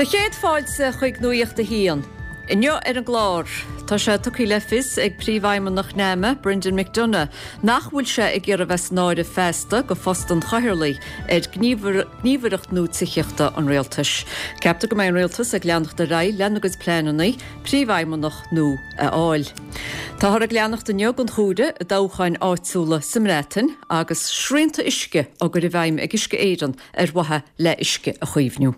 Do chéad fáilte chuig Nuacht a hAon. Inniu ar an gclár, tá sé tugtha le fios ag Príomhfheidhmeannach NAMA, Brendan McDonagh, nach bhfuil sé ag iarraidh bheith san áireamh feasta go phost an chathaoirligh ar ghníomhaireacht nua tithíochta an Rialtais. Ceaptar go mbeidh an Rialtas ag leanacht ar aghaidh lena gcuid pleananna Príomhfheidhmeannach nua a fháil. Táthar ag leanacht inniu den chomhaireamh i dtoghcháin áitiúla sa mBreatain agus srianta uisce á gcur i bhfeidhm ag Uisce Éireann ar mhaithe le huisce a chaomhnú.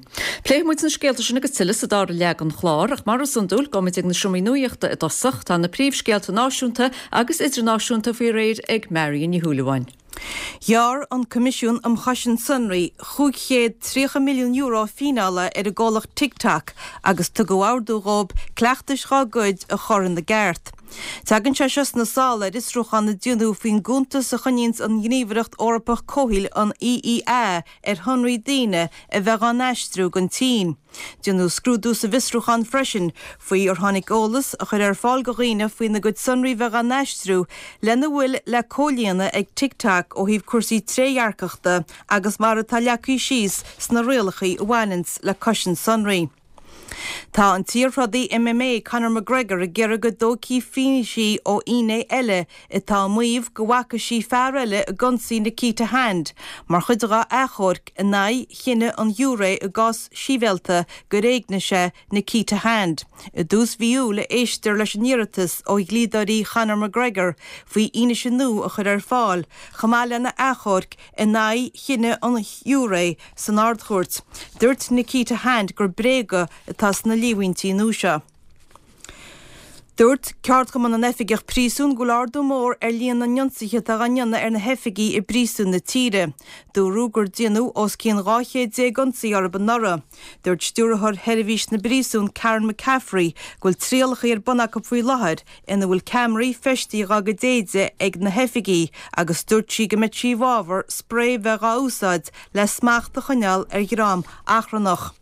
Pléifidh muid na scéalta sin agus tuilleadh sa dara leath den chlár, ach mar is iondúil, gabhfaidh muid ag na seomraí nuachta i dtosach. Tá na príomhscéalta náisiúnta agus idirnáisiúnta faoi réir ag Marion Ní Shúilleabháin. Ghearr an Coimisiún um Chosaint Sonraí €530 milliún fíneála ar an gcomhlacht TikTok agus tugadh ordú dhóibh cleachtais dhá gcuid a chur ina gceart. Tagann sé seo sna sála ar fhiosrúchán a déanadh faoin gcuntas a choinníonns an Ghníomhaireacht Eorpach Comhshaoil, an EEA, ar shonraí daoine a bheith dhá n-aistriú don tSín. Déanadh scrúdú sa bhfiosrúchán freisin faoi ar tháinig eolas a chur ar fáil do dhaoine faoina gcuid sonraí bheith dhá n-aistriú lena bhfuil le comhlíonadh ag TikTok ó thaobh cúrsaí trédhearcachta agus mar atá leagtha síos sna rialacha a bhaineanns le cosaint sonraí. Tá an t-iarthrodaí MMA Conor McGregor ag iarraidh go dtógfaí fianaise ó fhinné eile atá ag maíomh go bhfaca sí fear eile ag ionsaí Nikita Hand mar chuid dá achomharc in aghaidh chinneadh an ghiúiré i gcás sibhialta gur éignigh sé Nikita Hand. I dtús mhí Iúil a éistear leis an iarratas ó dhlíodóirí Chonor McGregor faoi fhianaise nua a chur ar fáil chomh maith lena achomharc in aghaidh chinneadh an ghiúiré san Ard-Chúirt. Dúirt Nikita Hand gur bréaga atá sna líomhaintí nua seo. Dúirt Ceardchumann na nOifigeach Príosún go bhfuil ardú mór ar líon na n-ionsaithe atá á ndéanamh ar na hoifigigh i bpríosúin na tíre. Dúradh gur déanadh os cionn 12 chéad ionsaí orthu anuraidh. Dúirt Stiúrthóir Sheirbhís na bPríosún Karen McCaffrey go bhfuil trialacha ar bun acu faoi láthair ina bhfuil ceamaraí feistithe dhá gcuid éide ag na hoifigigh agus dúirt sí go mbeadh sí i bhfabhar sprae bheith dhá úsáid le smacht a choinneáil ar dhream achrannach.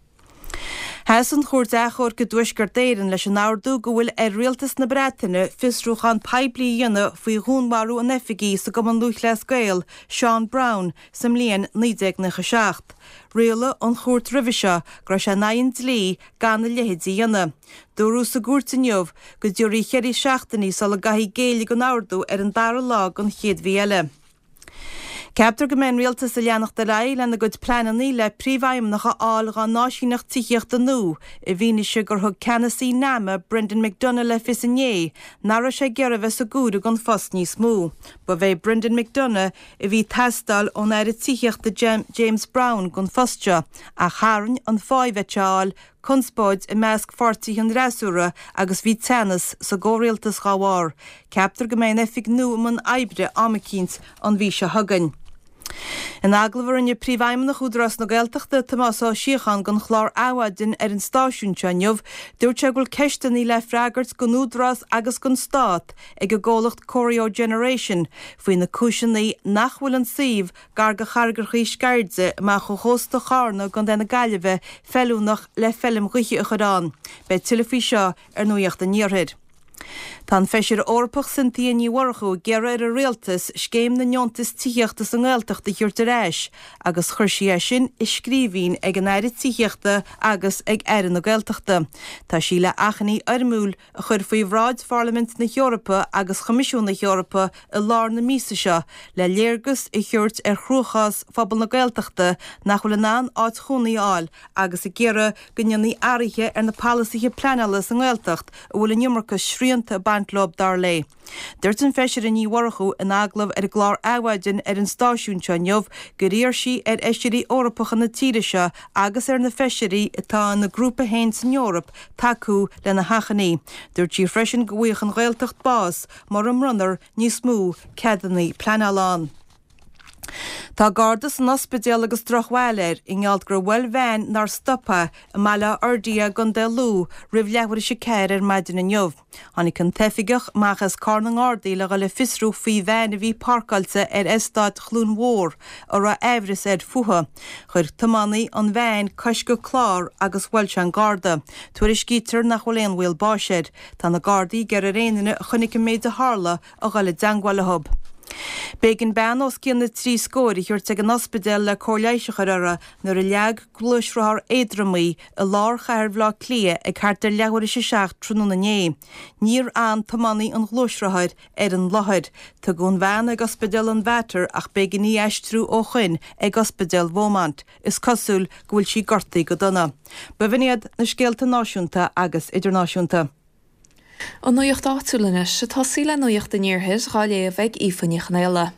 Sheas an Chúirt Achomhairc i dTuaisceart Éireann leis an ordú go bhfuil ar Rialtas na Breataine fiosrúchán poiblí a dhéanamh faoi dhúnmharú an oifigigh sa gCumann Lúthchleas Gael, Seán Brown, sa mbliain 1997. Rialaigh an chúirt roimhe seo go raibh sé in aghaidh an dlí gan a leithéid a dhéanamh. Dúradh sa gcúirt inniu go dtiúrfaí cheithre seachtainí sula gcaithfí géilleadh don ordú ar an dara lá den chéad mhí eile. Ceaptar go mbeidh an Rialtas ag leanacht ar aghaidh lena gcuid pleananna le príomhfheidhmeannach a fháil dhá n-áisíneacht tithíochta nua i bhfianaise gur thug ceannasaí NAMA Brendan McDonagh le fios inné nach raibh sé ag iarraidh bheith sa gcomhaireamh don phost níos mó. Ba é Brendan McDonagh a bhí ag teastáil ón Aire Tithíochta James Browne don phost seo ach tharraing an pháí a bheadh sé a fháil conspóid i measc pháirtithe an fhreasúra agus bhí teannas sa gcomhrialtas dhá bharr. Ceaptar go mbeidh an oifig nua i mbun oibre am eicínt an mhí seo chugainn. In agallamh a rinne Príomhfheidhmeannach Údarás na Gaeltachta, Tomás Ó Síocháin don chlár Adhmhaidin ar an stáisiún seo inniu, dúirt sé go bhfuil ceisteanna le freagairt don Údarás agus don Stát ag an gcomhlacht Corio Generation faoi na cúiseanna nach bhfuil an suíomh gar do Charraigreachaí Sceirde, amach ó chósta Chárna i gContae na Gaillimhe, feiliúnach le feilm ghaoithe a chur ann. Beidh tuilleadh faoi seo ar Nuacht an Iarthair. Tá an Feisire Eorpach Cynthia Ní Mhurchú ag iarraidh ar an Rialtas scéim na ndeontas tithíochta sa nGaeltacht a thabhairt ar ais agus chuir sí é sin i scríbhinn ag an Aire Tithíochta agus ag Aire na Gaeltachta. Tá sí le achainí fhoirmiúil a chur faoi bhráid Pharlaimint na hEorpa agus Choimisiún na hEorpa i lár na míosa seo le léargas a thabhairt ar chruachás phobal na Gaeltachta nach bhfuil in ann áit chónaí a fháil agus ag iarraidh go ndéanfaí athruithe ar na polasaithe pleanála sa nGaeltacht a bhfuil an iomarca srianta ag baint leo, dar léi. Dúirt an Feisire Ní Mhurchú in agallamh ar an gclár Adhmhaidin ar an stáisiún seo inniu gur iarr sí ar Fheisirí Eorpacha na tíre seo agus ar na Feisirí atá ina grúpa féin san Eoraip tacú lena hachainí. Dúirt sí freisin go bhfaigheadh an Ghaeltacht bás mura mbronnfar níos mó ceadanna pleanála ann. Tá Garda san ospidéal agus drochbhail air i ngeall gur bhuail veain nár stop é i mBaile Átha Fhirdhia i gContae Lú roimh leathuair théis a 4 ar maidin inniu. Tháinig an t-oifigeach amach as carr na nGardaí le dhul ag fiosrú faoi veain a bhí páirceáilte ar eastát Chluain Mhór a raibh aimhreas air fúithi. Chuir tiománaí an veain coisceadh clár agus bhuail sé an Garda. Tuairiscítear nach bhfuil aon bhaol báis air. Tá na Gardaí ag iarraidh ar aon duine a chonaic an méid a tharla a dhul i dteangmháil leo. B'éigean bean os cionn na dtrí scóir a thabhairt ag an ospidéal le cóir leighis a chur uirthi nuair a leag gluaisrothar éadrom í i lár chathair Bhaile Átha Cliath ag thart ar leathuair théis a 7 tráthnóna inné. Níor fhan tiománaí an ghluaisrothair ar an láthair. Tugadh an bhean ag ospidéal an Mhater ach b'éigean í a aistriú ó shoin ag ospidéal Beaumont. Is cosúil go bhfuil sí gortaithe go dona. B'in iad na scéalta náisiúnta agus idirnáisiúnta. An nuacht áitiúil anois, ag tosaí le Nuacht an Iarthair dhá léamh ag Aoife Ní Chonaola.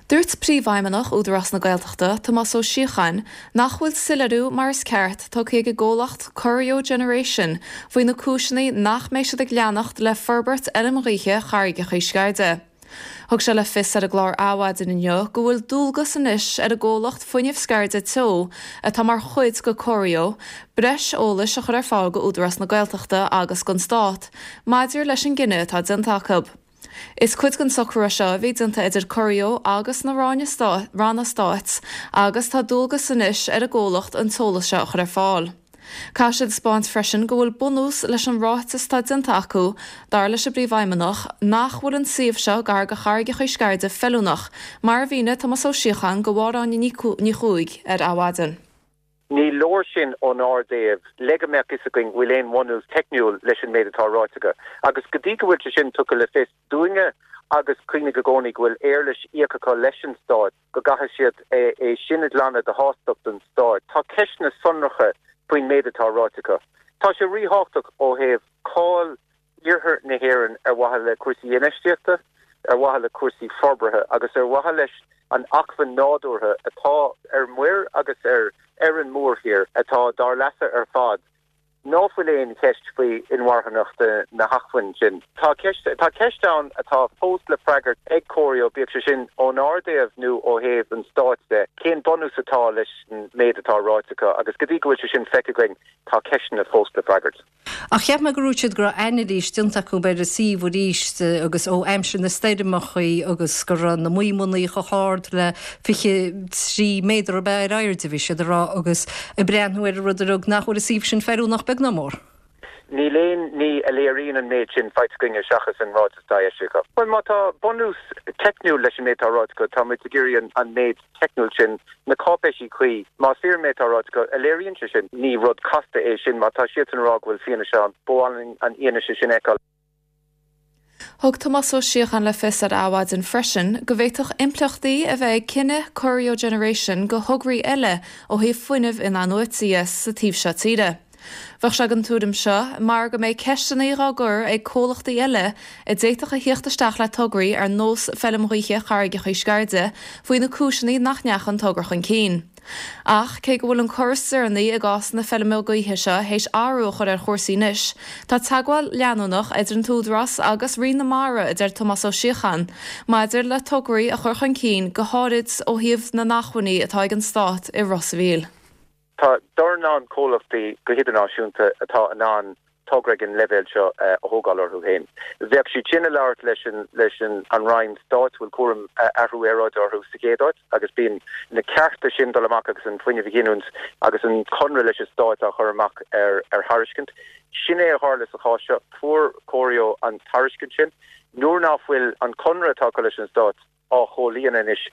Dúirt Príomhfheidhmeannach Údarás na Gaeltachta, Tomás Ó Síocháin, nach bhfuil soiléiriú mar is ceart tugtha ag an gcomhlacht Corio Generation faoi na cúiseanna nach mbeidh siad ag leanacht le forbairt fheilm ghaoithe Charraigeacha Sceirde. Thug sé le fios ar an gclár Adhmhaidin inniu go bhfuil dualgas anois ar an gcomhlacht Fuinneamh Sceirde Teo, atá mar chuid de Corio, breis eolais a chur ar fáil go Údarás na Gaeltachta agus don Stát maidir leis an gcinneadh atá déanta acu. Is cuid den socrú é seo a bhí déanta idir Corio agus na ranna stáit agus tá dualgas anois ar an gcomhlacht an t-eolas seo a chur ar fáil. Caithfidh siad a 'spáint freisin go bhfuil bunús leis an ráiteas atá déanta acu, dar leis an bPríomhfheidhmeannach, nach bhfuil an suíomh seo gar do Charraigeacha Sceirde feiliúnach, mar a mhínigh Tomás Ó Síocháin do Mháire Áine Ní Chuaig ar Adhmhaidin. Ní leor sin ónár dtaobh le go mbeadh fhios againn go bhfuil aon bhunús teicniúil leis an méid atá ráite acu. Agus go dtí go bhfuil sé sin tugtha le fios dúinne agus cuimhnigh i gcónaí go bhfuil éarlais íoctha acu leis an Stát, go gcaithfidh siad é sin a ghlanadh de thástacht don Stát. Tá ceisteanna sonracha faoin méid atá ráite acu. Tá sé ríthábhachtach ó thaobh cáil iarthar na hÉireann ar mhaithe le cúrsaí infheistíochta, ar mhaithe le cúrsaí forbartha agus ar mhaithe leis an acmhainn nádúrtha atá ar muir agus ar ar an mórthír atá dár leasa ar fad. Ná fuil aon cheist faoi inmharthanacht na hacmhainne sin. Tá ceist tá ceist ann atá fós le freagairt ag Corio, bíodh sé sin ónár dtaobh nó ó thaobh an stáit de, cén bunús atá leis an méid atá ráite acu agus go dtí go bhfuil sé sin feicthe againn tá ceisteanna fós le freagairt. Ach cheap mé go ndúirt siad go raibh anailís déanta acu ar an suíomh arís agus ó aimsir na stoirmeachaí agus go raibh na maidhmeanna chomh hard le 23 méadar ab ea ar airde, bhí siad ag rá, agus ag breathnú ar an rud uilig nach bhfuil an suíomh sin feiliúnach beag ná mór. Níl aon ní a léiríonn an méid sin faighte againne seachas an ráiteas atá eisithe acu. Bhuel, má tá bunús teicniúil leis an méid atá ráite acu, tá muid ag iarraidh an méid teicniúil sin, na cáipéisí cuí, más fíor an méid atá ráite acu, a léiríonn sé sin. Ní rud casta é sin. Má tá siadsan ag rá go bhfuil fianaise ann, ba mhaith linn an fhianaise sin a fheiceáil. Thug Tomás Ó Síocháin le fios ar Adhmhaidin freisin go bhféadfadh impleachtaí a bheith ag cinneadh Corio Generation go thograí eile ó thaobh fuinnimh in-athnuaite dhe sa taobh seo tíre. Bheadh sé den tuairim seo mar go mbeidh ceisteanna dhá gcur ag comhlachtaí eile a d'fhéadfadh a thíocht isteach le tograí ar nós feilm ghaoithe Charraigeacha Sceirde faoi na cúiseanna nach ndeacha an togra chun cinn. Ach cé go bhfuil an cor is deireanaí i gcás na feilme gaoithe seo théis athrú a chur ar chúrsaí anois, tá teagmháil leanúnach idir an tÚdarás agus Roinn na Mara, a deir Tomás Ó Síocháin, maidir le tograí a chur chun cinn go háirid ó thaobh na n-acmhainní atá ag an Stát i Ros a' Mhíl. Tá dornán comhlachtaí go hidirnáisiúnta atá in ann togra ag an leibhéal seo a thógáil orthu féin. Bheadh siad sin ag labhairt leis an leis an an Roinn Stáit a bhfuil cúram athrú aeráide orthu sa chéad áit agus bíonn na cearta sin dul amach agus an fuinneamh a ghiniúint agus an conradh leis an Stát á chur amach ar ar thairiscint. Sin é a tharla sa chás seo. Fuair Corio an tairiscint sin. Nuair ná fuil an conradh atá acu leis an Stát á chomhlíonadh anois,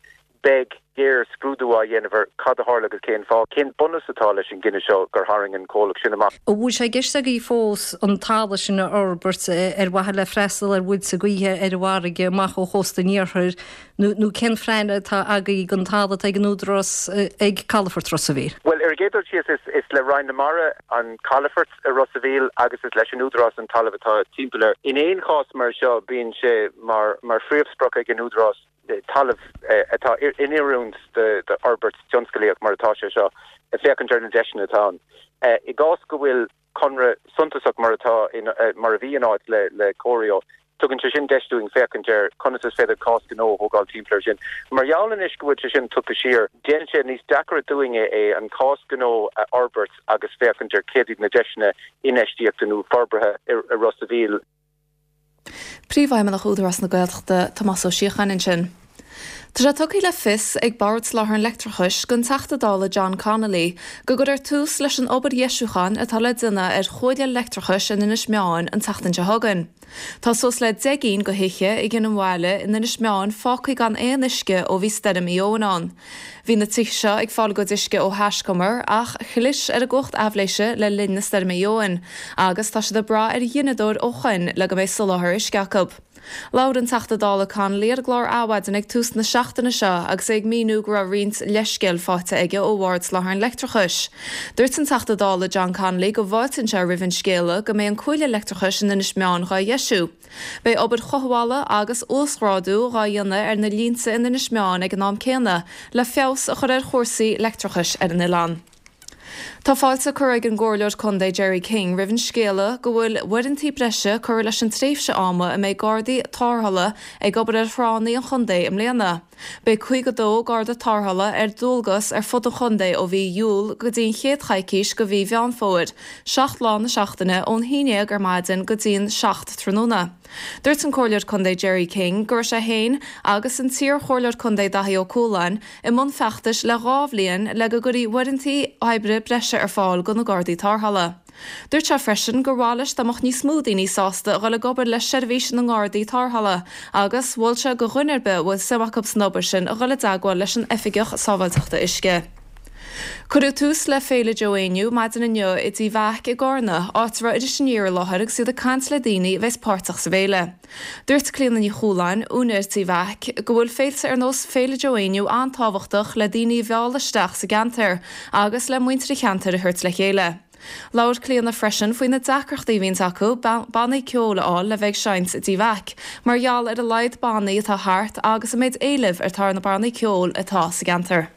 beidh géarscrúdú á dhéanamh ar cad a tharla agus cén fáth, cén bunús atá leis an gcinneadh seo gur tharraing an comhlacht sin amach. An bhfuil sé i gceist agaibh fós an talamh sin a fhorbairt ar mhaithe le freastal ar mhuilte gaoithe ar an bhfarraige amach ó chósta an iarthair nó cén phlean atá agaibh don talamh atá ag an Údarás ag Calafort Ros a' Mhíl? Bhuel, ar an gcéad dul síos, is le Roinn na Mara an calafort i Ros a' Mhíl agus is leis an Údarás an talamh atá timpeall air. In aon chás mar seo, bíonn sé mar phríomhsprioc ag an Údarás talamh atá in oiriúint d'fhorbairt tionsclaíoch mar atá sé seo, féachaint ar na deiseanna atá ann. I gcás go bhfuil conradh suntasach mar atá mar a bhí in áit le Corio, Tugann sé sin deis dúinn féachaint ar conas is féidir cás gnó a thógáil timpeall air sin. Mar gheall anois go bhfuil sé sin tugtha siar, déanann sé níos deacaire dúinne é an cás gnó a fhorbairt agus féachaint ar céard iad na deiseanna infheistíochta nó forbartha i Ros a' Mhíl. Príomhfheidhmeannach Údarás na Gaeltachta, Tomás Ó Síocháin ansin. Tá sé tugtha le fios ag Bord Soláthair an Leictreachais don Teachta Dála John Connolly go gcuirfear tús leis an obair dheisiúcháin atá le déanamh ar chuaille leictreachais in Inis Meáin an tseachtain seo chugainn. Tá suas le 10 gcinn de thithe i gCionn an Bhaile in Inis Meáin fágtha gan aon uisce ó bhí Stoirm Éowyn ann. Bhí na tithe seo ag fáil a gcuid uisce ó thaiscumar ach chlis ar an gcumhacht aibhléise le linn na Stoirme Éowyn agus tá siad ag brath ar ghineadóir ó shoin le go mbeidh soláthar uisce acu. Labhair an Teachta Dála Connolly ar an gclár Adhmhaidin ag tús na seachtaine seo agus é ag míniú go raibh roinnt leithscéal faighte aige ó Bhord Soláthair an Leictreachais. Dúirt an Teachta Dála John Connolly go bhfáiltíonn sé roimh an scéala go mbeidh an cuaille leictreachais in Inis Meáin dhá dheisiú. Beidh obair chothabhála agus uasghrádú dhá dhéanamh ar na línte in Inis Meáin ag an am céanna le feabhas a chur ar chúrsaí leictreachais ar an oileán. Tá fáilte curtha ag an gComhairleoir Contae Gerry King roimh an scéala go bhfuil uaireanta breise curtha leis an tréimhse ama a mbeidh gardaí tarrthála ag obair ar thránna an chontae i mbliana. Beidh 52 garda tarrthála ar dualgas ar fud an chontae ó mhí Iúil go dtí an chéad choicís de mhí Mheán Fómhair, 7 lá na seachtaine ón 11 ar maidin go dtí an 7 tráthnóna. Dúirt an Comhairleoir Contae Gerry King go raibh sé féin agus an t-iar-Chomhairleoir Contae Daithí Ó Cualáin i mbun feachtais le 2 bhliain le go gcuirfí uaireanta oibre breise ar fáil do na Gardaí Tarrthála. Dúirt sé freisin gur mhaith leis dá mbeadh níos mó daoine sásta a dhul ag obair le seirbhís na nGardaí Tarrthála agus mhol sé do dhuine ar bith a bhfuil suim acu san obair sin a dhul i dteagmháil leis an Oifigeach Sábháilteachta Uisce. Cuireadh tús le Féile Joe Éinniú maidin inniu i dTigh Mheaic i gCarna, áit a raibh Iris Aniar i láthair agus iad ag caint le daoine a bheas páirteach sa bhféile. Dúirt Clíona Ní Chualáin, úinéir Tí Mheaic, go bhfuil féilte ar nós Féile Joe Éinniú an-tábhachtach le daoine a mhealladh isteach sa gceantar agus le muintir an cheantair a thabhairt le chéile. Labhair Clíona freisin faoi na deacrachtaí a bhíonns acu bannaí ceoil a fháil le bheith ag seinnt i dTigh Mheaic, mar gheall ar a laghad bannaí atá thart agus an méid éilimh atá ar na bannaí ceoil atá sa gceantar.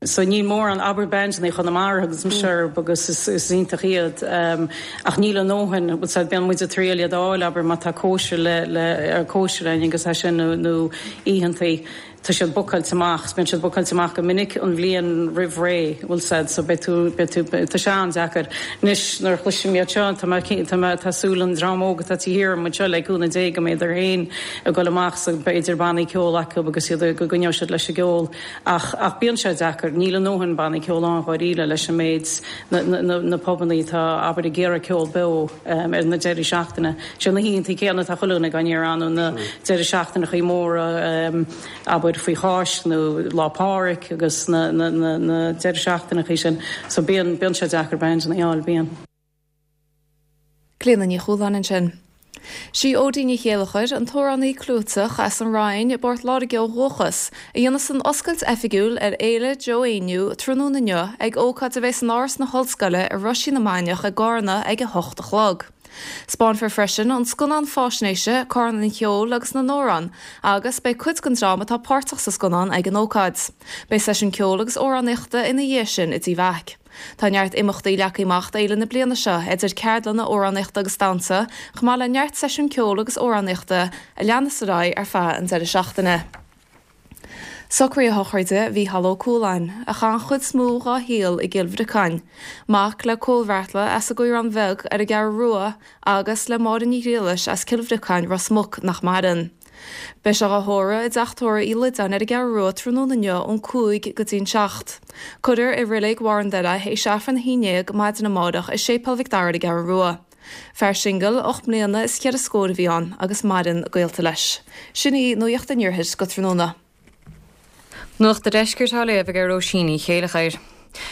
So níl mórán, abair bandannaí Chonamara agus mise orthu agus is iontach iad ach níl a ndóthain, bhfuil 's a'd, bíonn muid ag triail iad a fháil, abair má tá cóisir le, le, ar cóisir againn agus é sin nó, nó oícheantaí, tá siad bookáilte amach, bíonn siad bookáilte amach go minic an bhliain roimh ré, bhfuil 's a'd, so beidh tú, beidh tú, tá sé an-deacair. Anois nuair a chloisim iad seo, tá mé, tá mé, tá súil an dream óg atá taobh thiar amuigh anseo le cúnamh Dé go mbeidh féin ag dul amach so b'fhéidir bannaí ceoil acu agus iad, go gcoinneoidh siad leis an gceol. Ach, ach bíonn sé deacair, níl a ndóthain bannaí ceoil ann dháiríre leis an méid, na, na, na pubannaí atá, abair, ag iarraidh ceol beo ar na deirí seachtaine. Sé na hoícheantaí céanna atá chuile dhuine á n-iarraidh ann, na deirí seachtaineachaí móra, abair, faoi Cháisc nó Lá Pádraig agus na, na, na, na deirí seachtaineachaí sin. So bíonn, bíonn sé deacair bandanna a fháil, bíonn. Clíona Ní Chualáin ansin. Sí Odí Ní Chéilleachair, an t-amhránaí clúiteach as an Rinn i bPort Láirge ó dhúchas, a dhéanfas an oscailt oifigiúil ar Fhéile Joe Éinniú tráthnóna inniu ag ócáid a bheidh in Áras na hOllscoile i Roisín na Mainiach i gCarna ag 8 a chlog. Spáinfear freisin an scannán fáisnéise Carna an Cheoil agus na nAmhrán agus beidh cuid den dream atá páirteach sa scannán ag an ócáid. Beidh seisiún ceoil agus amhránaíochta ina dhiaidh sin i dTigh Mheaic. Tá neart imeachtaí leagtha amach d'fhéile na bliana seo, idir ceardlanna amhránaíochta agus damhsa, chomh maith le neart seisiún ceoil agus amhránaíochta a leanas ar aghaidh ar feadh an deireadh seachtaine. Socruithe sochraide Mhícheál Ó Cualáin, a chaith an chuid is mó dhá shaol i gCill Bhriocáin. Mac le Cóil Bheartla as an gCaorán Bheag ar an gCeathrú Rua agus le Máire Ní Ghriallais as Cill Bhriocáin, Ros Muc, nach maireann. Beidh sé dhá thórramh i dteach tórraimh Uí Loideáin ar an gCeathrú Rua tráthnóna inniu ón 5 go dtí'n 7. Cuirfear i Reilig Bharr an Doire é théis Aifreann a 11 maidin amárach i Séipéal Mhic Dara ar an gCeathrú Rua. Fear singil, 8 mbliana is cheithre scór a bhí ann agus maireann gaolta leis. Sin í Nuacht an Iarthair go tráthnóna. Nuacht an Deiscirt á léamh ag Róisín Ní Chéilleachair.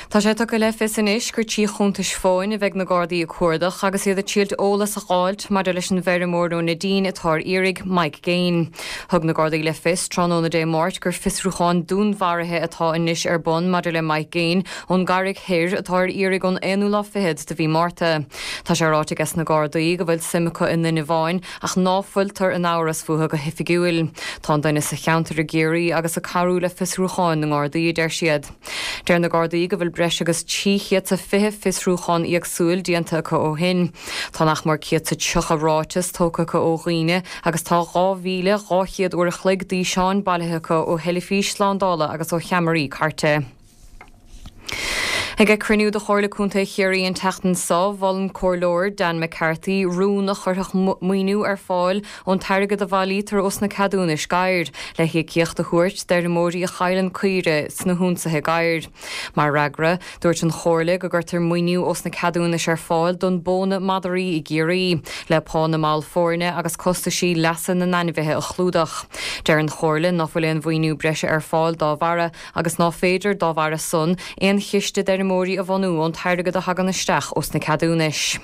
Tá sé tugtha le fios anois gur trí chuntais fóin a bheidh na Gardaí ag cuardach agus iad ag triailt eolas a dh'fháilt maidir leis an bhfeirmeoir ó Neidín atá ar iarraidh, Mike Gaine. Thug na Gardaí le fios tráthnóna Dé Máirt gur fiosrúchán dúnmharaithe atá anois ar bun maidir le Mike Gaine ón gCarraig Thoir atá ar iarraidh ón aonú lá fichead de mhí Márta. Tá sé ráite ages na Gardaí go bhfuil suim acu i nduine amháin ach ná fuiltear in amhras fúthu go hoifigiúil. Tá an duine sa cheantar i gCiarraí agus ag cabhrú le fiosrúcháin na nGardaí, a deir siad. Deir na Gardaí go bhfuil breis agus 320 fiosrúchán éagsúil déanta acu ó shin. Tá nach mór 130 ráiteas tógtha acu ó dhaoine agus tá 2,200 uair a chloig d'fhíseáin bailithe acu ó theilifís slándála agus ó cheamaraí cairte. Ag cruinniú de Chomhairle Contae Chiarraí an tseachtain seo, mhol an Comhairleoir Dan McCarthy rún a chuirfeadh maoiniú ar fáil ón t-airgead a bhailítear ós na ceadúnais gadhair, le híocaíocht a thabhairt d'fheirmeoirí a chailleann caoire sna hionsaithe gadhair. Mar fhreagra, dúirt an Chomhairle go gcuirtear maoiniú ós na ceadúnais ar fáil don bpóna madraí i gCiarraí, le pá na mball foirne agus costaisí leasa na n-ainmhithe a chlúdach. Deir an Chomhairle ná fuil aon mhaoiniú breise ar fáil dá bharra, agus ná féidir, dá bharra san, aon chiste d'fheirmeoirí a bhunú ón t-airgead a thagann isteach ós na ceadúnais.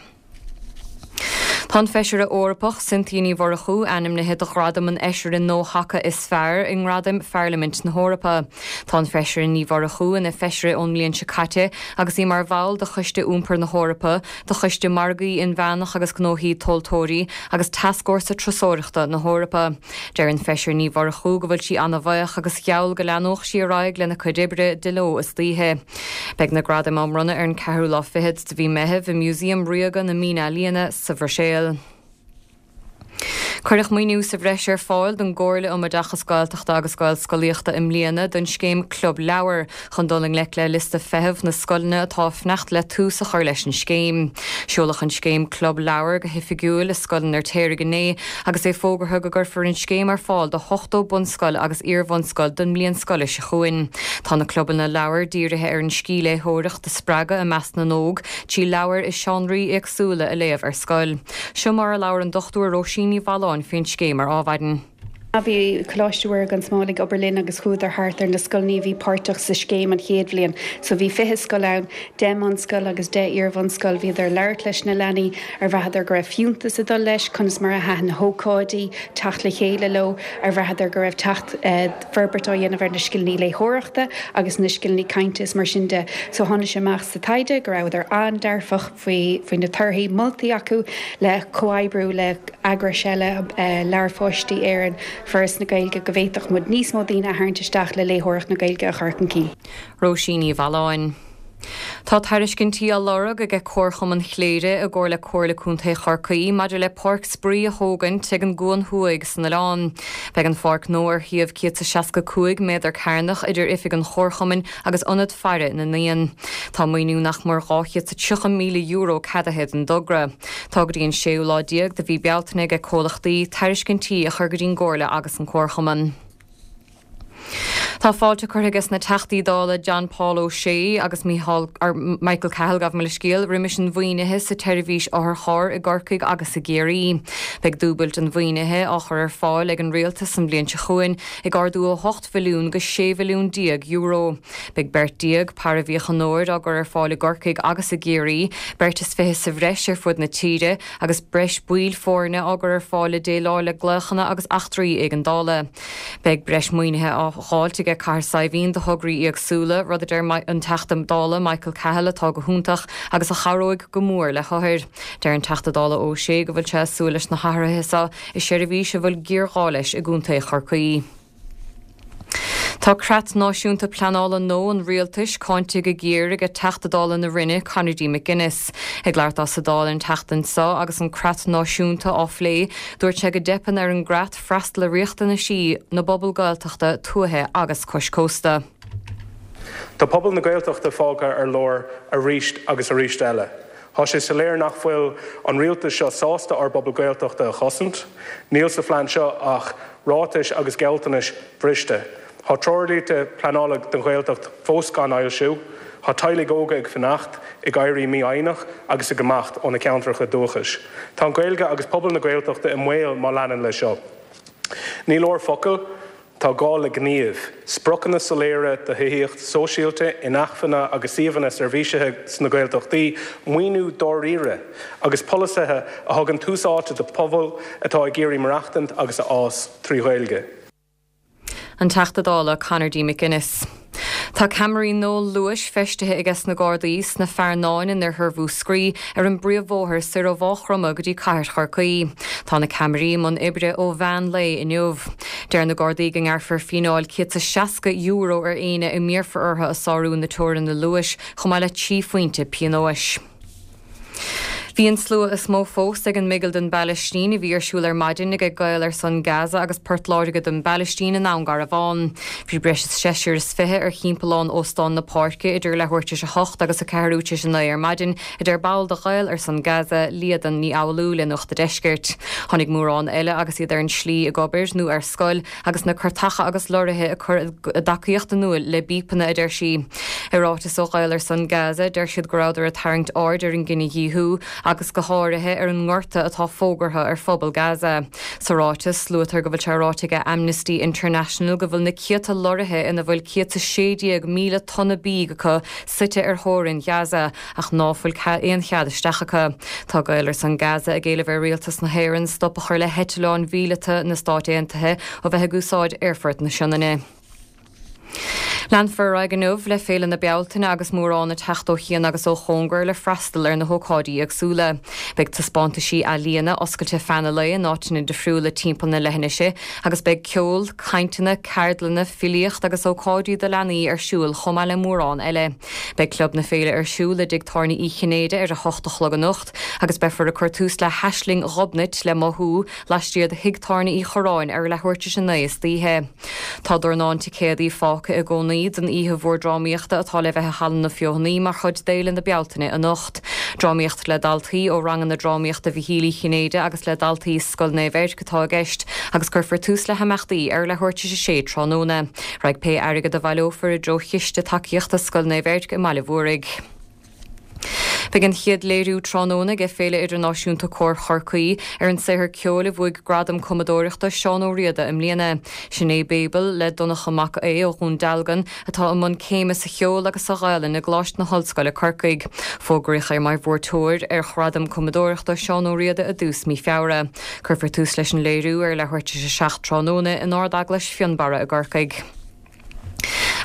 Tá an Feisire Eorpach Cynthia Ní Mhurchú ainmnithe do ghradam an Fheisire Gnóthacha is Fearr i nGradaim Pharlaimint na hEorpa. Tá an Feisire Ní Mhurchú ina Feisire ón mbliain seo caite agus í mar bhall de Choiste Iompair na hEorpa, de Choiste Margaí Inmheánach agus Gnóthaí Tomhaltóirí agus Tascfhórsa Turasóireachta na hEorpa. Deir an Feisire Ní Mhurchú go bhfuil sí ana-bhaoch agus gheall go leanódh sí ar aghaidh lena cuid oibre de ló is d'oíche. Beidh na gradaim á mbronnadh ar an ceathrú lá fichead de mhí Meitheamh i Músaem Ríoga na Mínealaíona sa Bhruiséil. Cuireadh maoiniú sa bhreis ar fáil don gComhairle um Oideachas Gaeltachta agus Gaelscolaíochta i mbliana don scéim Club Leabhar chun dul i ngleic le liosta feithimh na scoileanna atá ag fanacht le tús a chur leis an scéim. Seoladh an scéim Club Leabhar go hoifigiúil i Scoil an Fheirtéaraigh inné agus é fógartha go gcuirfear an scéim ar fáil do 80 bunscoil agus iar-bhunscoil don mbliain scoile seo chugainn. Tá na clubanna leabhar dírithe ar an scíthléitheoireacht a spreagadh i measc na n-óg trí leabhair i seánraí éagsúla a léamh ar scoil. Seo mar a labhair an Dr Róisín Ní Mhealláin faoin scéim ar Adhmhaidin. Bhí Coláiste Mhuire gan Smál ag obair linn agus chuadar thart ar na scoileanna a bhí páirteach sa scéim an chéad bhliain. So bhí 20 scoil ann, 10 mbunscoil agus 10 iar-bhunscoil. Bhíodar ag labhairt leis na leanaí, ar bhraitheadar go raibh fiúntas ag dul leis, conas mar a thaitin na hócáidí, teacht le chéile leo, ar bhraitheadar go raibh teacht, forbairt á dhéanamh ar na scileanna léitheoireachta agus na scileanna cainte is mar sin de. So tháinig sé amach sa taighde go rabhadar an-dearfach. faoi na torthaí, moltaí acu le comhoibriú le eagrais eile, Leabhair Pháistí Éireann, Foras na Gaeilge, go bhféadfadh muid níos mó daoine a tharraingt isteach le léitheoireacht na Gaeilge a chur chun cinn. Róisín Ní Mhealláin. Tá tairiscintí á lorg aige Comharchumann Chléire i gcomhar le Comhairle Contae Chorcaí maidir le páirc spraoi a thógaint ag an gCuan Thuaidh san oileán. Beidh an pháirc nua ar shuíomh 165 méadar cearnach idir oifig an Chomharchumainn agus Ionad Faire na nÉan. Tá maoiniú nach mór €230,000 ceadaithe don dtogra. Tá go dtí an séú lá déag de mhí Bealtaine aige comhlachtaí tairiscintí a chur go dtí'n gComhairle agus an Comharchumann. Tá fáilte curtha aige sna Teachtaí Dála John Paul O'Shea agus Micheál, Michael Cahill, gabh mo leithscéal, roimis an mhaoinithe sa tseirbhís otharcharr i gCorcaigh agus i gCiarraí. Beidh dúbailt an mhaoinithe á chur ar fáil ag an Rialtas an bhliain seo chugainn ag ardú ó 8 mhilliún go €16 mhilliún. Beidh beirt paraimhíochaineoir á gcur ar fáil i gCorcaigh agus i gCiarraí, beirt is 20 sa bhreis ar fud na tíre, agus breis baill foirne á gcur ar fáil le déileáil le glaochanna agus eachtraí éigeandála. Beidh breis maoinithe á dháilt aige Cathair Saidhbhín do thograí éagsúla, rud a deir an Teachta Dála Michael Cahill atá go hiontach agus a chabhróidh go mór le hothair. Deir an Teachta Dála O'Shea go bhfuil sé ag súil leis na hathruithe seo i seirbhís a bhfuil géarghá leis i gContae Chorcaí. Tá Creat Náisiúnta Pleanála nua an Rialtais cáinte go géar aige Teachta Dála na Rinne, Conor D. McGuinness. Ag labhairt dó sa Dáil an tseachtain seo agus an Creat Náisiúnta á phlé, dúirt sé go dteipeann ar an gcreat freastal ar riachtanaisí na bpobal Gaeltachta, tuaithe agus cois cósta. Tá pobal na Gaeltachta fágtha ar lár arís agus arís eile. Tá sé soiléir nach bhfuil an rialtas seo sásta ár bpobal Gaeltachta a chosaint. Níl sa phlean seo ach ráitis agus gealltanais bhriste. Tá treoirlínte pleanála don Ghaeltacht fós gan fhoilsiú. Tá teaghlaigh óga ag fanacht, ag éirí mífhoighneach agus ag imeacht ó na ceantracha dúchais. Tá an Ghaeilge agus pobal na Gaeltachta i mbaol má leanann leis seo. Ní leor focail. Tá gá le gníomh. Spriocanna soiléire do thithíocht sóisialta, inacmhainne agus suíomhanna seirbhísithe sna Gaeltachtaí, maoiniú dáiríre, agus polasaithe a thugann tús áite do phobail atá ag iarraidh maireachtaint agus a fhás trí Ghaeilge. An Teachta Dála Conor D. McGuinness. Tá ceamaraí nua luais feistithe aige sna Gardaí sna Fearnáin in oirthear Mhúscraí ar an bpríomhbhóthar soir ó Mhaigh Chromtha go dtí Cathair Chorcaí. Tá na ceamaraí i mbun oibre ó mheán lae inniu. Deir na Gardaí go ngearrfar fíneáil €160 ar éinne a n-iarrfar orthu a sárú na teoranna luais chomh maith le 3 phointe pionóis. Bhí an slua is mó fós ag an mBigil don bPalaistín a bhí ar siúl ar maidin ag Gaeil ar son Gaza agus Port Láirge don bPalaistín i nDún Garbhán. Bhí breis is seisear is 20 ar thimpeallán Óstán na Páirce idir leathuair tar éis a hocht agus a ceathrú tar éis a naoi ar maidin, a deir ball de Ghaeil ar son Gaza, Líadan Ní Fhoghlú le Nuacht a' Deiscirt. Tháinig mórán eile agus iad ar an slí ag obair nó ar scoil agus na cairteacha agus lorraithe ag cur a dtacaíocht in iúl le bípeanna, a deir sí. I ráiteas ó Ghaeil ar son Gaza, deir siad go rabhadar ag tarraingt aird ar an gcinedhíothú agus go háirithe ar an ngorta atá fógartha ar phobal Gaza. Sa ráiteas, luaitear go bhfuil sé ráite ag Amnesty International go bhfuil na céadta lorraithe ina bhfuil 116,000 tonna bídh acu suite ar theorainn Ghaza ach ná fuil aon chead isteach acu. Tá Gaeil ar son Gaza ag éileamh ar Rialtas na hÉireann stop a chur le heitleáin mhíleata na Stáit Aontaithe ó bheith ag úsáid Aerfort na Sionainne. Leanfar ar aghaidh inniu le Féile na Bealtaine agus mórán ag teacht ó chian agus ó chóngar le freastal ar na hócáidí éagsúla. Beidh taispeántaisí ealaíona oscailte feadh an lae in áiteanna difriúla timpeall na leithinise agus beidh ceol, cainteanna, ceardlanna, filíocht agus ócáidí do leanaí ar siúl chomh maith le mórán eile. Beidh Club na Féile ar siúl i dTigh Tábhairne Uí Chinnéide ar a hocht a chlog anocht agus beifear ag cur tús le hAisling Ghobnait le Mothú laistiar de Thigh Tábhairne Uí Chorráin ar leathuair tar éis a 9 istoíche. Tá dornán ticéadaí fágtha i gcónaí don oíche mhór drámaíochta atá le bheith i Halla na Feothanaí mar chuid d'Fhéile na Bealtaine anocht. Drámaíocht le daltaí ó ranganna drámaíochta Mhichíl Uí Chinnéide agus le daltaí Scoil Naomh Eirc atá i gceist agus cuirfear tús le himeachtaí ar leathuair tar éis a sé tráthnóna. Raghaidh pé airgead a bhaileofar i dtreo chiste tacaíochta Scoil Naomh Eirc i mBaile Mhúraigh. Beidh an chéad léiriú tráthnóna ag Féile Idirnáisiúnta Cóir Chorcaí ar an saothar ceoil a bhuaigh Gradam Cumadóireachta Seán Ó Riada i mbliana. Sin é Babel le Donncha Mac Aodha ó Dhún Dealgan atá i mbun céime sa cheol agus sa Ghaelainn i gColáiste na hOllscoile Corcaigh. Fógraíodh é mar bhuaiteoir ar Ghradam Cumadóireachta Seán Ó Riada i dtús mí Feabhra. Cuirfear tús leis an léiriú ar leathuair tar éis a 7 tráthnóna in Ard-Eaglais Fionnbarra i gCorcaigh.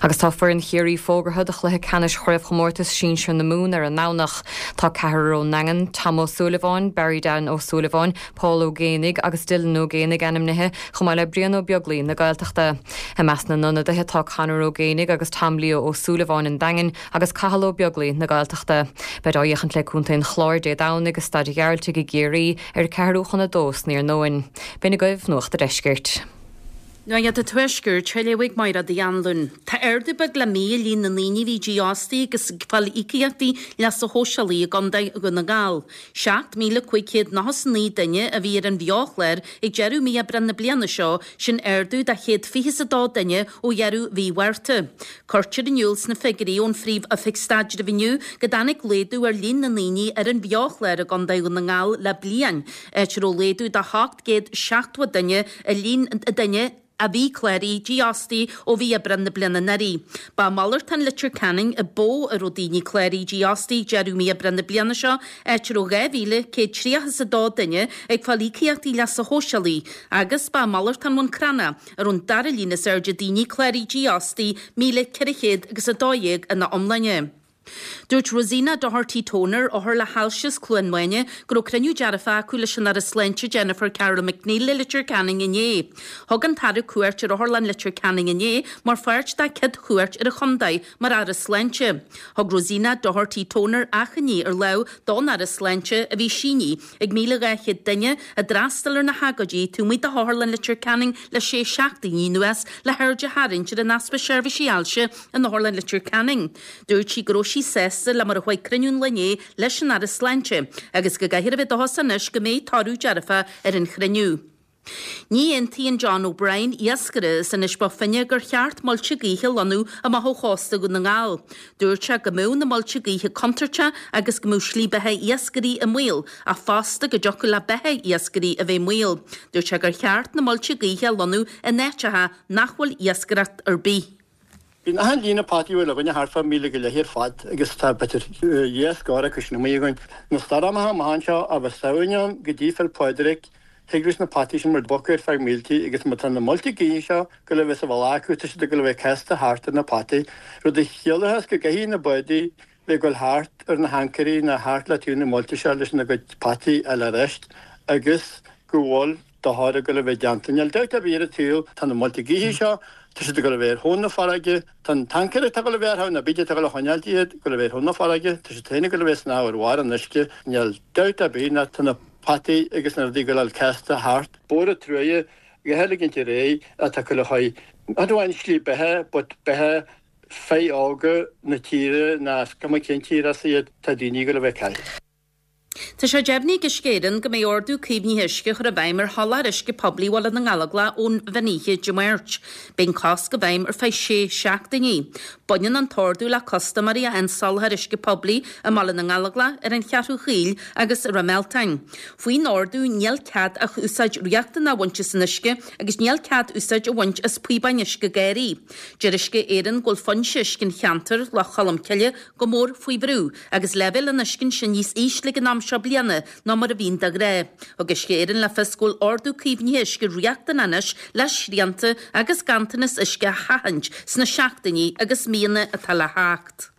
Agus tá foireann Chiarraí fógartha do chluiche ceannais Chraobhchomórtas Sinsir na Mumhan ar an nDomhnach. Tá ceathrar ón nDaingean, Tom Ó Súilleabháin, Barry Dan Ó Súilleabháin, Paul Ó Géibheannaigh agus Dylan Ó Géibheannaigh ainmnithe, chomh maith le Brian Ó Beaglaoi na Gaeltachta. I measc na n-ionadaithe tá Conor Ó Géibheannaigh agus Tom Leo Ó Súilleabháin an Daingin agus Cathal Ó Beaglaoi na Gaeltachta. Beid á fhéachaint le Contae an Chláir Dé Domhnaigh i Staid an Ghearaltaigh i gCiarraí ar a ceathrú chun a dó san iarnóin. B'in agaibh Nuacht a' Deiscirt. Nuacht a' Tuaiscirt, á léamh ag Máire Uí Anluain. Tá ardú beag le mí i líon na ndaoine a bhí dífhostaithe agus ag fáil íocaíochtaí leasa shóisialaigh i gContae Dhún na nGall. 7,599 duine a bhí ar an bheo-chlár ag deireadh mí Aibreán na bliana seo, sin ardú de 122 duine ó dheireadh mhí Mhárta. Cuirtear in iúl sna figiúirí ón Phríomh-Oifig Staidrimh inniu go dtáinig laghdú ar líon na ndaoine ar an bheo-chlár i gContae Dhún na nGall le bliain, áit a raibh laghdú de 870 duine i líon na ndaoine a bhí cláraithe dífhostaithe ó mhí Aibreán na bliana anuraidh. Ba i malartán Leitir Ceanainn a ba mhó a raibh daoine cláraithe dífhostaithe deireadh mí Aibreán na bliana seo, áit a raibh 2,132 duine ag fáil íocaíochtaí leasa shóisialaigh, agus ba i malartán Bhun Cranncha a raibh an dara líon is airde daoine cláraithe dífhostaithe, 1,400 agus 12 ina iomláine. Dúirt Rosina Doherty Toner, othar le hailse as Cluain Maine, go raibh cruinniú dearfach acu leis an Aire Sláinte Jennifer Carroll MacNeill i Leitir Ceanainn inné. Thug an tAire cuairt ar Otharlann Leitir Ceanainn inné mar pháirt dá céad chuairt ar an chontae mar Aire Sláinte. Thug Rosina Doherty Toner achainí ar lámh don Aire Sláinte a bhí sínithe ag 1,200 duine a d'fhreastail ar na hagóidí taobh amuigh de Otharlann Leitir Ceanainn le sé seachtainí anuas le haird a tharraingt ar an easpa seirbhísí ailse in Otharlann Leitir Ceanainn. Dúirt sí go raibh sí sásta le mar a chuaigh cruinniú an lae inné leis an Aire Sláinte agus go gcaithfear a bheith dóchasach anois go mbeidh toradh dearfach ar an chruinniú. Ní aontaíonn John O'Brien, iascaire as Inis Bó Finne, gur cheart muilte gaoithe a lonnú amach ó chósta Dhún na nGall. Dúirt sé go mbeadh na muilte gaoithe contúirteach agus go mbeadh slí beatha iascairí i mbaol, ach fosta go dtiocfadh le beatha iascairí a bheith i mbaol. Dúirt sé gur cheart na muilte gaoithe a lonnú in áiteacha nach bhfuil iascaireacht ar bith. Bíonn achan líne potaí a bhfuil againne thart fá mhíle go leith ar fad agus tá b'fhéidir dhá scór acu sin amuigh againn. Na stoirmeacha amach anseo ó bheith Samhain ann go dtí Féil Pádraig, thig leis na potaí sin mar bocadh ar feadh míltí agus má tá na muilte gaoithe seo ag goil a bheith sa bhealach acu tá siad ag goil a bheith casta thart ar na potaí, rud a chiallóchas go gcaithfidh na bádaí bheith ag goil thart ar na hancairí nó thart le taobh na muilte seo leis na gcuid potaí a fháil ar ais agus go bhfuil dochar ag goil a bheith déanta. Níl dabht ar bith ar an tsaol, tá na muilte gaoithe seo. Tá siad ag dul a bheith ar thóin na farraige. Tá an tancaer atá ag dul a bheith orthu, nó b'fhéidir atá ag dul a choinneáilt iad, ag dul a bheith ar thóin na farraige. Tá siad féin ag dul a bheith ag snámh ar bharr an uisce. Níl dabht ar bith ná tá na potaí agus na rudaí ag dul a fháil casta thart. Bóthar an truaighe, go heilgint ar aghaidh atá ag dul a chur, not amháin slí beatha but beatha fir óga na tíre ná is cuma cén tír as iad, tá daoine ag dul a bheith caillte. Tá sé deimhnithe ag Uisce Éireann go mbeidh ordú caomhnaithe uisce á chur i bhfeidhm ar sholáthar uisce poiblí Bhaile na nGallóglach ón mheán oíche Dé Máirt. Beidh an cosc i bhfeidhm ar feadh sé seachtainí. Baineann an t-ordú le custaiméirí a fhaigheann soláthar uisce poiblí i mBaile na nGallóglach, ar an Cheathrú Chaoil agus i Ráth Mealtain. Faoin ordú níl cead ach úsáid riachtanach a bhaint as an uisce agus níl cead úsáid a bhaint as píobáin uisce garraí. Deir Uisce Éireann go bhfuil foinse uisce an cheantair, Loch Cholm Cille, go mór faoi bhrú agus leibhéal an uisce ansin níos ísle ag an am seo bliana ná mar a bhíonn de ghnáth. Thug Uisce Éireann le fios go bhfuil ordú caomhnaithe uisce riachtanach anois le srianta agus ganntanas uisce a sheachaint sna seachtainí agus míonna atá le theacht.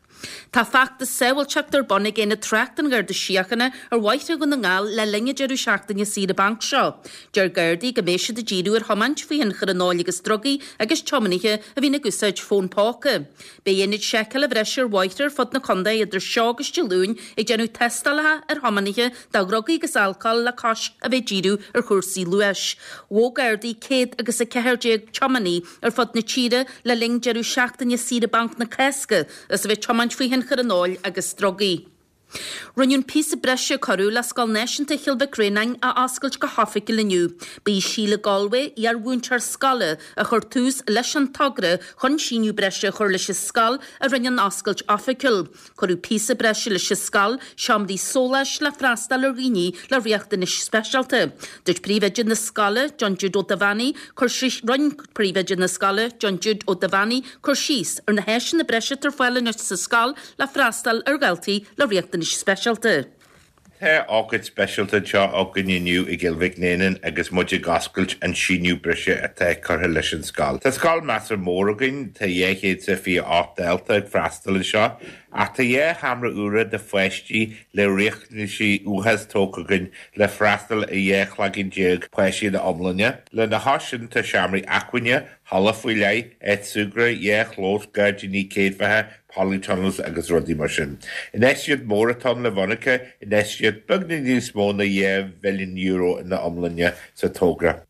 Tá feachtas sábháilteachta ar bun ag Aonad Tráchta an Gharda Síochána ar bhóithre Dhún na nGall le linn an deireadh seachtaine saoire bainc seo. Deir Gardaí go mbeidh siad ag díriú ar thiomáint faoi thionchar an óil agus drugaí agus tiománaithe a bhíonn ag úsáid fón póca. Beidh aonaid seiceála bhreise ar bhóithre ar fud na contae idir seo agus Dé Luain ag déanamh tástálacha ar thiománaithe do dhrugaí agus alcól le cois a bheith ag díriú ar chúrsaí luais. Ghabh Gardaí 114 tiománaí ar fud na tíre le linn deireadh seachtaine saoire bainc na Cásca as a bheith ag tiomáint faoi thionchar an óil agus drugaí. Rinneadh an píosa breise a cuireadh le Scoil Náisiúnta Chill Mhic Réanáin a oscailt go hoifigiúil inniu. Ba í Síle Galway, iar-mhúinteoir scoile, a chuir tús leis an togra chun síneadh breise a chur leis an scoil a rinne an oscailt oifigiúil. Cuireadh píosa breise leis an scoil, seomraí sóláis le freastal ar dhaoine le riachtanais speisialta. Dúirt príomhoide na scoile, John Jude Ó Duibheannaigh, cur síos Rinne príomhoide na scoile, John Jude Ó Duibheannaigh, cur síos ar na háiseanna breise atá ar fáil anois sa scoil le freastal ar dhaltaí le riachtanais speisialta. Tá ócáid speisialta anseo againn inniu i gCill Mhic Néanáin agus muid ag oscailt an síneadh breise atá curtha leis an scoil. Tá scoil measartha mór againn, tá 228 dalta ag freastal anseo, ach tá dhá sheomra úra do pháistí le riachtanaisí uathacha tógtha againn le freastal ar 12 cloigeann páistí ina iomláine. Lena chois sin tá seomraí acmhainne, halla faoi leith, áit súgradh, dhá chlós, gairdíní céadfaithe, polytunnels agus rudaí mar sin. Infheistíocht mhór atá ann le mhonarcha, infheistíocht beagnach níos mó ná €2 mhilliún ina iomláine sa togra.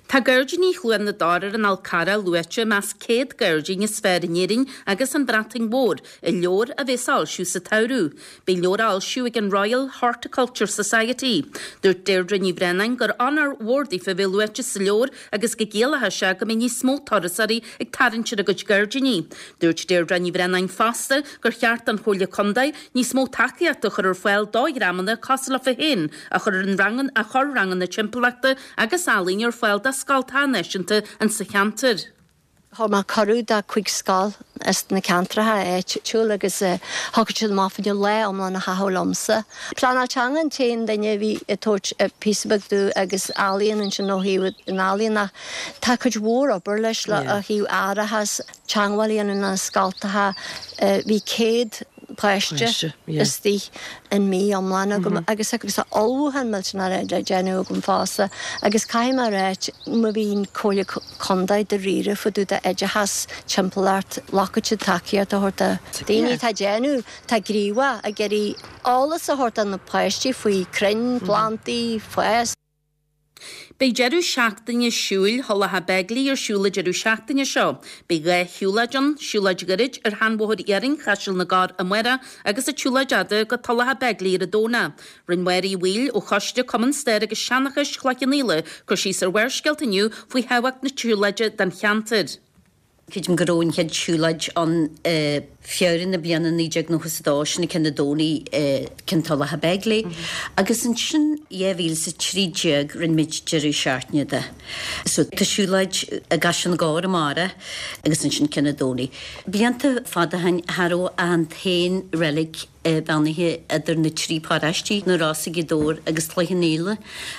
Tá Gairdíní Chluain na dTor ar an Fhál Carrach luaite i measc 100 gairdín is fearr in Éirinn agus an Bhreatain Mhór i leabhar a bheas á fhoilsiú sa tsamhradh. Beidh an leabhar á fhoilsiú ag an Royal Horticulture Society. Dúirt Deirdre Ní Bhraonáin gur onóir mhór daofa a bheith luaite sa leabhar agus go gciallóidh sé go mbeidh níos mó turasóirí ag tarraingt ar a gcuid gairdíní. Dúirt Deirdre Ní Bhraonáin fosta gur cheart don Chomhairle Contae níos mó tacaíochta a chur ar fáil do dhreamanna cosúil leofa féin a chur ar an ranganna a chur ranganna timpeallachta agus ealaíne ar fáil do scoltacha náisiúnta insa cheantar. Thug mé cuireadh do chuig scoil as na ceantracha áitiúil agus shocraigh siad amach fá choinne lá iomlán a chaitheamh liomsa. Pleanáil teanga an t-aon duine a bhí ag tabhairt píosa beag domh agus ealaíon ansin ó thaobh an ealaíon ach tá cuid mhór obair leis le ó thaobh árachas, teangmháil a dhéanamh na scoltacha, bhí 100 páiste istigh in mí iomlán agam agus agus tá ullmhúchán millteanach le déanamh agam fosta agus caithfidh mé a ráit má bhíonn Comhairle Contae dáiríre fá dtaobh d'oideachas timpeallacht ghlacfaidh siad tacaíocht a thabhairt do daoine atá ag déanamh atá gníomhach ag iarraidh eolas a thabhairt do na páistí faoi crainn, plandaí, fás. Beidh deireadh seachtaine siúil Thulacha Beigile ar siúl an deireadh seachtaine seo. Beidh 2 shiúlóid ann, siúlóid ghairid ar sheanbhóthar iarainn Chaiseal na gCorr amárach agus an tsiúlóid fhada go Tulacha Beigile ar an Domhnach. Rinne Máire Uí Bhaoill ó Choiste Cumann Staire agus Seanchais Chloich Cheann Fhaola cur síos ar Bharrscéalta inniu faoi thábhacht na siúlóide don cheantar. Creidim go raibh an chéad siúlóid ann i Feabhra na bliana 1992, sin ceann an Domhnaigh i gceann Tulacha Beigile. Agus ansin 2013 rinne muid deireadh seachtaine de. So tá siúlóid i gCaiseal na gCorr amárach agus ansin ceann an Domhnaigh. Blianta fada ó shin cha raibh ach an t-aon reilig beannaithe idir na trí paráistí, Na Rosa, Gaoth Dobhair agus Cloich Cheann Fhaola,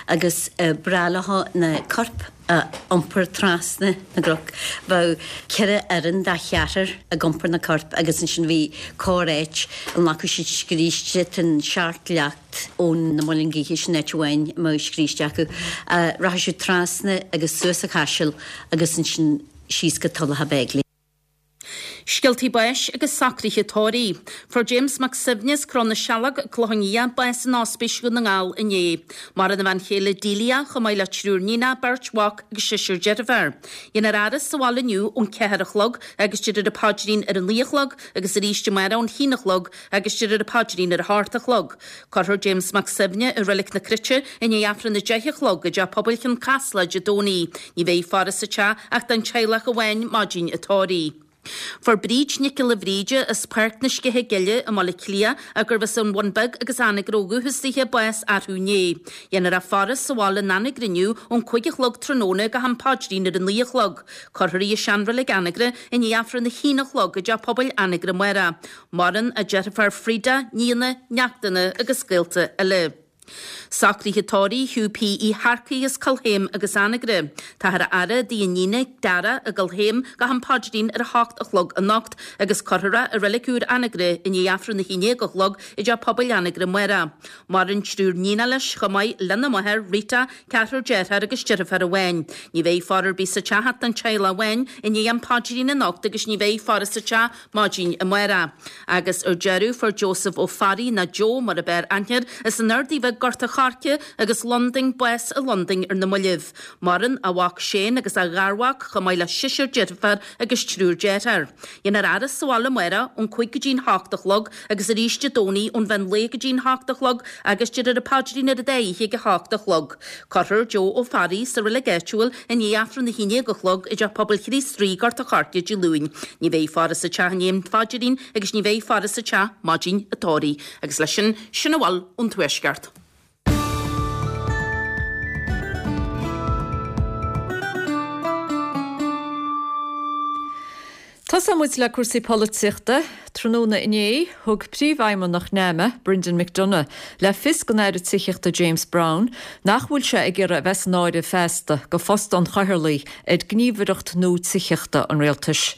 agus b'ghnách leo na coirp a iompar trasna na gcnoc. Bheadh ceithre fhoireann de cheathrar ag iompar na coirp agus ansin bhí corr-áit a nglacadh siad scríste den seacht leacht ón na Muileann Gaoithe, sin áit amháin a mbeadh scríste acu. Rachadh siad trasna agus suas an Chaiseal agus ansin. síos go Tulach Beigile. Scéaltaí báis agus socruithe tórraimh. Fuair James Mac Suibhne as Cró na Sealg, Clochán Liath, bás in Ospís Dhún na nGall inné. Maireann a bhean chéile Delia, chomh maith le triúr níonach, beirt mhac agus seisear deirféar. Déanfar a fhaire sa bhaile inniu ón ceathair a chlog agus déarfar an paidrín ar a naoi a chlog agus arís amárach ón haon a chlog agus déarfar an paidrín ar a hocht a chlog. Cuirfear James Mac Suibhne i Reilig na Cruite i ndiaidh Aifreann a deich a chlog i dTeach Pobail Chionn Caslach Dé Domhnaigh. Ní bheidh faire sa teach ach don teaghlach amháin maidin an tórraimh. Fuair Bríd Nic Giolla Bhríde as Páirc na Sceiche Gile i mBaile Átha Cliath, gurbh as an Bhun Beag agus Anagaire ó dhúchas dithe, bás arú inné. Déanfar a faire sa bhaile in Anagaire inniu ón cúig a chlog tráthnóna go ham paidrín ar a naoi a chlog. Cuirfear í i seanreilig Anagaire i ndiaidh Aifreann a haon a chlog i dTeach Pobail Anagaire amárach. Maireann a deirfiúr Frida, nianna, neachtanna agus gaolta eile. Socruithe tórraimh Hugh P. Uí Shearcaigh as Cill Chéim agus Anagaire. Táthar á fhaire i dtigh a iníne, Dara, i gCill Chéim go ham paidrín ar a hocht a chlog anocht agus cuirfear é i Reilig Úr Anagaire i ndiaidh Aifreann a haon déag a chlog i dTeach Pobail Anagaire amárach. Maireann triúr níonach leis chomh maith lena máthair, Rita, ceathrar dearthár agus deirfiúr amháin. Ní bheidh faire ar bith sa teach ach don teaghlach amháin i ndiaidh am paidrín anocht agus ní bheidh faire sa teach maidin amárach. Agus ar deireadh fuair Joseph Ó Fearraigh, nó Joe mar ab fhearr aithne air, as an Ardaidh Bheag Gort a' Choirce agus Londain, bás i Londain ar na moillibh. Maireann a mhac Shane agus a gharmhac, chomh maith le seisear deirfiúr agus triúr dearthár. Déanfar a fhaire sa bhaile amárach ón cúig go dtí'n hocht a chlog agus arís Dé Domhnaigh ón mheán lae go dtí'n hocht a chlog agus déarfar an paidrín ar an dá oíche ag a hocht a chlog. Cuirfear Joe Ó Fearraigh sa reilig áitiúil i ndiaidh Aifreann a haon déag a chlog i dTeach Pobail Chríost Rí, Gort a' Choirce, Dé Luain. Ní bheidh faire sa teach i ndiaidh an phaidrín agus ní bheidh faire sa teach maidin an tórraimh. Agus leis sin, sin a bhfuil ón Tuaisceart. Tosóidh muid le cúrsaí polaitíochta. Tráthnóna inné, thug Príomhfheidhmeannach NAMA, Brendan McDonagh, le fios don Aire Tithíochta James Browne nach bhfuil sé ag iarraidh a bheith san áireamh feasta do phost an chathaoirligh ar ghníomhaireacht nua tithíochta an Rialtais.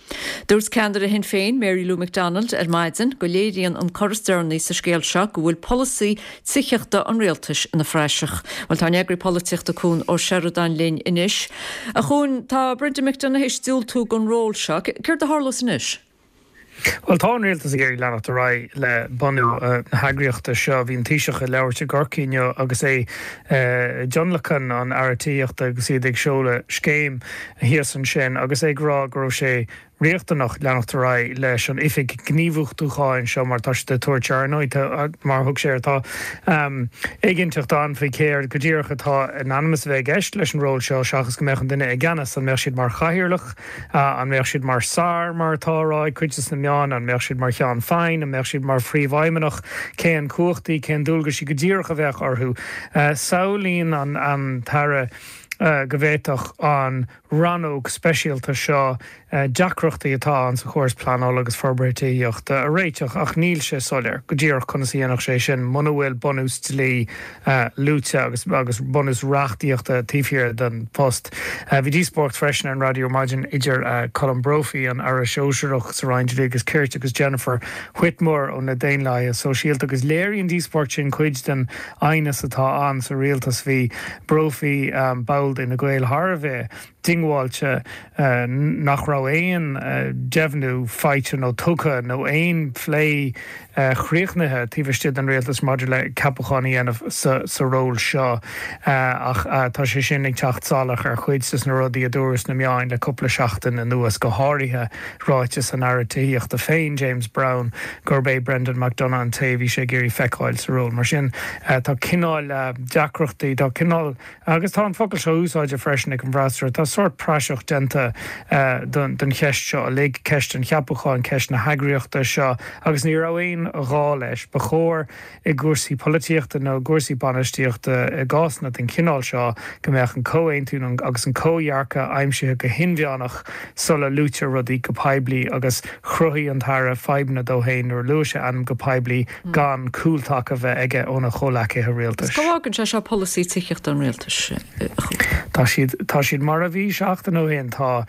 Dúirt ceannaire Shinn Féin, Mary Lou McDonald, ar maidin go léiríonn an cor is deireanaí sa scéal seo go bhfuil polasaí tithíochta an rialtais ina phraiseach. Bhuel, tá ár n-eagraí polaitíochta Cuan Ó Seireadáin linn anois. A Chuain, tá Brendan McDonagh théis diúltú don ról seo. Céard a tharlós anois? Bhuel, tá an rialtas ag iarraidh leanacht ar aghaidh le bunú na heagraíochta seo. Bhí an Taoiseach ag labhairt i gCorcaigh inniu agus é i dtionlacan an Aire Tithíochta agus iad ag seoladh scéim thíos ansin agus é ag rá go raibh sé riachtanach leanacht ar aghaidh leis an oifig gníomhachtúcháin seo mar tá siad ag tabhairt ar ndóigh tá mar a thug sé air tá éiginnteacht ann faoi céard go díreach atá in ainm is a bheith i gceist leis an ról seo seachas go mbeadh an duine i gceannas an mbeadh siad mar chathaoirleach an mbeadh siad mar SAR mar atá á rá ag cuid de na meáin an mbeadh siad mar cheann feadhain an mbeadh siad mar phríomhfheidhmeannach cén cumhachtaí cén dualgaisí go díreach a bheadh orthu samhlaíonn an an tAire go bhféadfadh an rannóg speisialta seo deacrachtaí atá ann sa chóras pleanála agus forbartha tithíochta a réiteach ach níl sé soiléir go díreach conas a dhéanfadh sé sin muna bhfuil bunús dlí luaite agus agus bunús reachtaíochta taobh thiar den phost. Bhí díospóireacht freisin ar an raidió ar maidin idir Colm Brophy, an Aire Sóisearach sa Roinn Dlí agus Cirt agus Jennifer Whitmore ó na Daonlathaithe Sóisialta agus léirigh an díospóireacht sin cuid den aighneas atá ann sa rialtas. Bhí Brophy, ball d'Fhine Gael, thar a bheith diongbháilte nach raibh aon deimhniú faighte nó tugtha nó aon phlé chríochnaithe taobh istigh den rialtas maidir le ceapachán a dhéanamh sa ról seo. Ach tá sé sin ag teacht salach ar chuid des na rudaí a dúradh sna meáin le cúpla seachtain anuas, go háirithe ráiteas an Aire Tithíochta féin, James Browne, gurb é Brendan McDonagh an té a bhí sé ag iarraidh feiceáil sa ról. Mar sin, tá cineál deacrachtaí, tá cineál, agus tá an focal seo úsáidte freisin ag an bhfreasúra, tá sórt praiseach déanta den cheist seo uilig, ceist an cheapacháin, ceist na heagraíochta seo, agus ní raibh aon ghá leis. Ba chóir. i gcúrsaí polaitíochta nó i gcúrsaí bainistíochta i gcásanna den chineál seo, go mbeadh an comhaontú agus an comhdhearcadh aimsithe go hinmheánach sula luaitear rudaí go poiblí agus chruthaigh an tAire fadhbanna dó féin nuair a luaigh sé a ainm go poiblí gan cúltaca bheith aige óna chomhleacaithe rialtais. Cá bhfágann sé seo polasaí tithíochta an rialtais, a Chuain? Tá siad, tá siad mar a bhí seachtain ó shin. Tá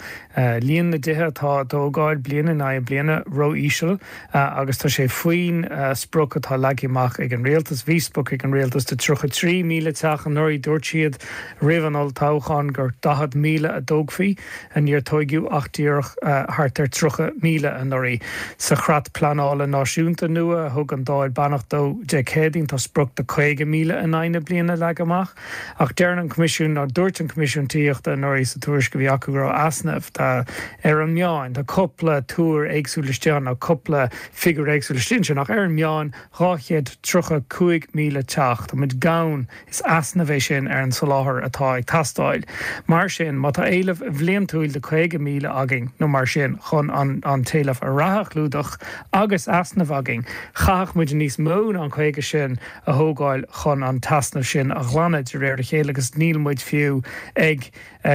líon na dtithe atá á dtógáil bliain in aghaidh bliana ró-íseal agus tá sé faoin sprioc atá leagtha amach ag an rialtas. Bhí sprioc ag an rialtas de 33,000 teach anuraidh. Dúirt siad roimh an olltoghchán gur 40,000 a dtógfaí. Níor tóigeadh ach díreach thart ar 30,000 anuraidh. Sa Chreat Pleanála Náisiúnta nua a thug an Dáil beannacht dó Dé Céadaoin tá sprioc de 50,000 in aghaidh na bliana leagtha amach. Ach deireann an Coimisiún, nó dúirt an Coimisiún Tithíochta anuraidh sa tuairisc a bhí acu go raibh easnamh ar an meán, tá cúpla tuar éagsúil istigh ann, nó cúpla figiúr éagsúil istigh ansin, ach ar an meán 235,000 teach, tá muid gann, is easnamh é sin ar an soláthar atá ag teastáil. Mar sin, má tá éileamh bhliantúil de 50,000 againn, nó mar sin, chun an an t-éileamh reatha a chlúdach, agus easnamh againn, chaithfeadh muid níos mó ná an 50 sin a thógáil chun an t-easnamh sin a ghlanadh de réir a chéile agus níl muid fiú ag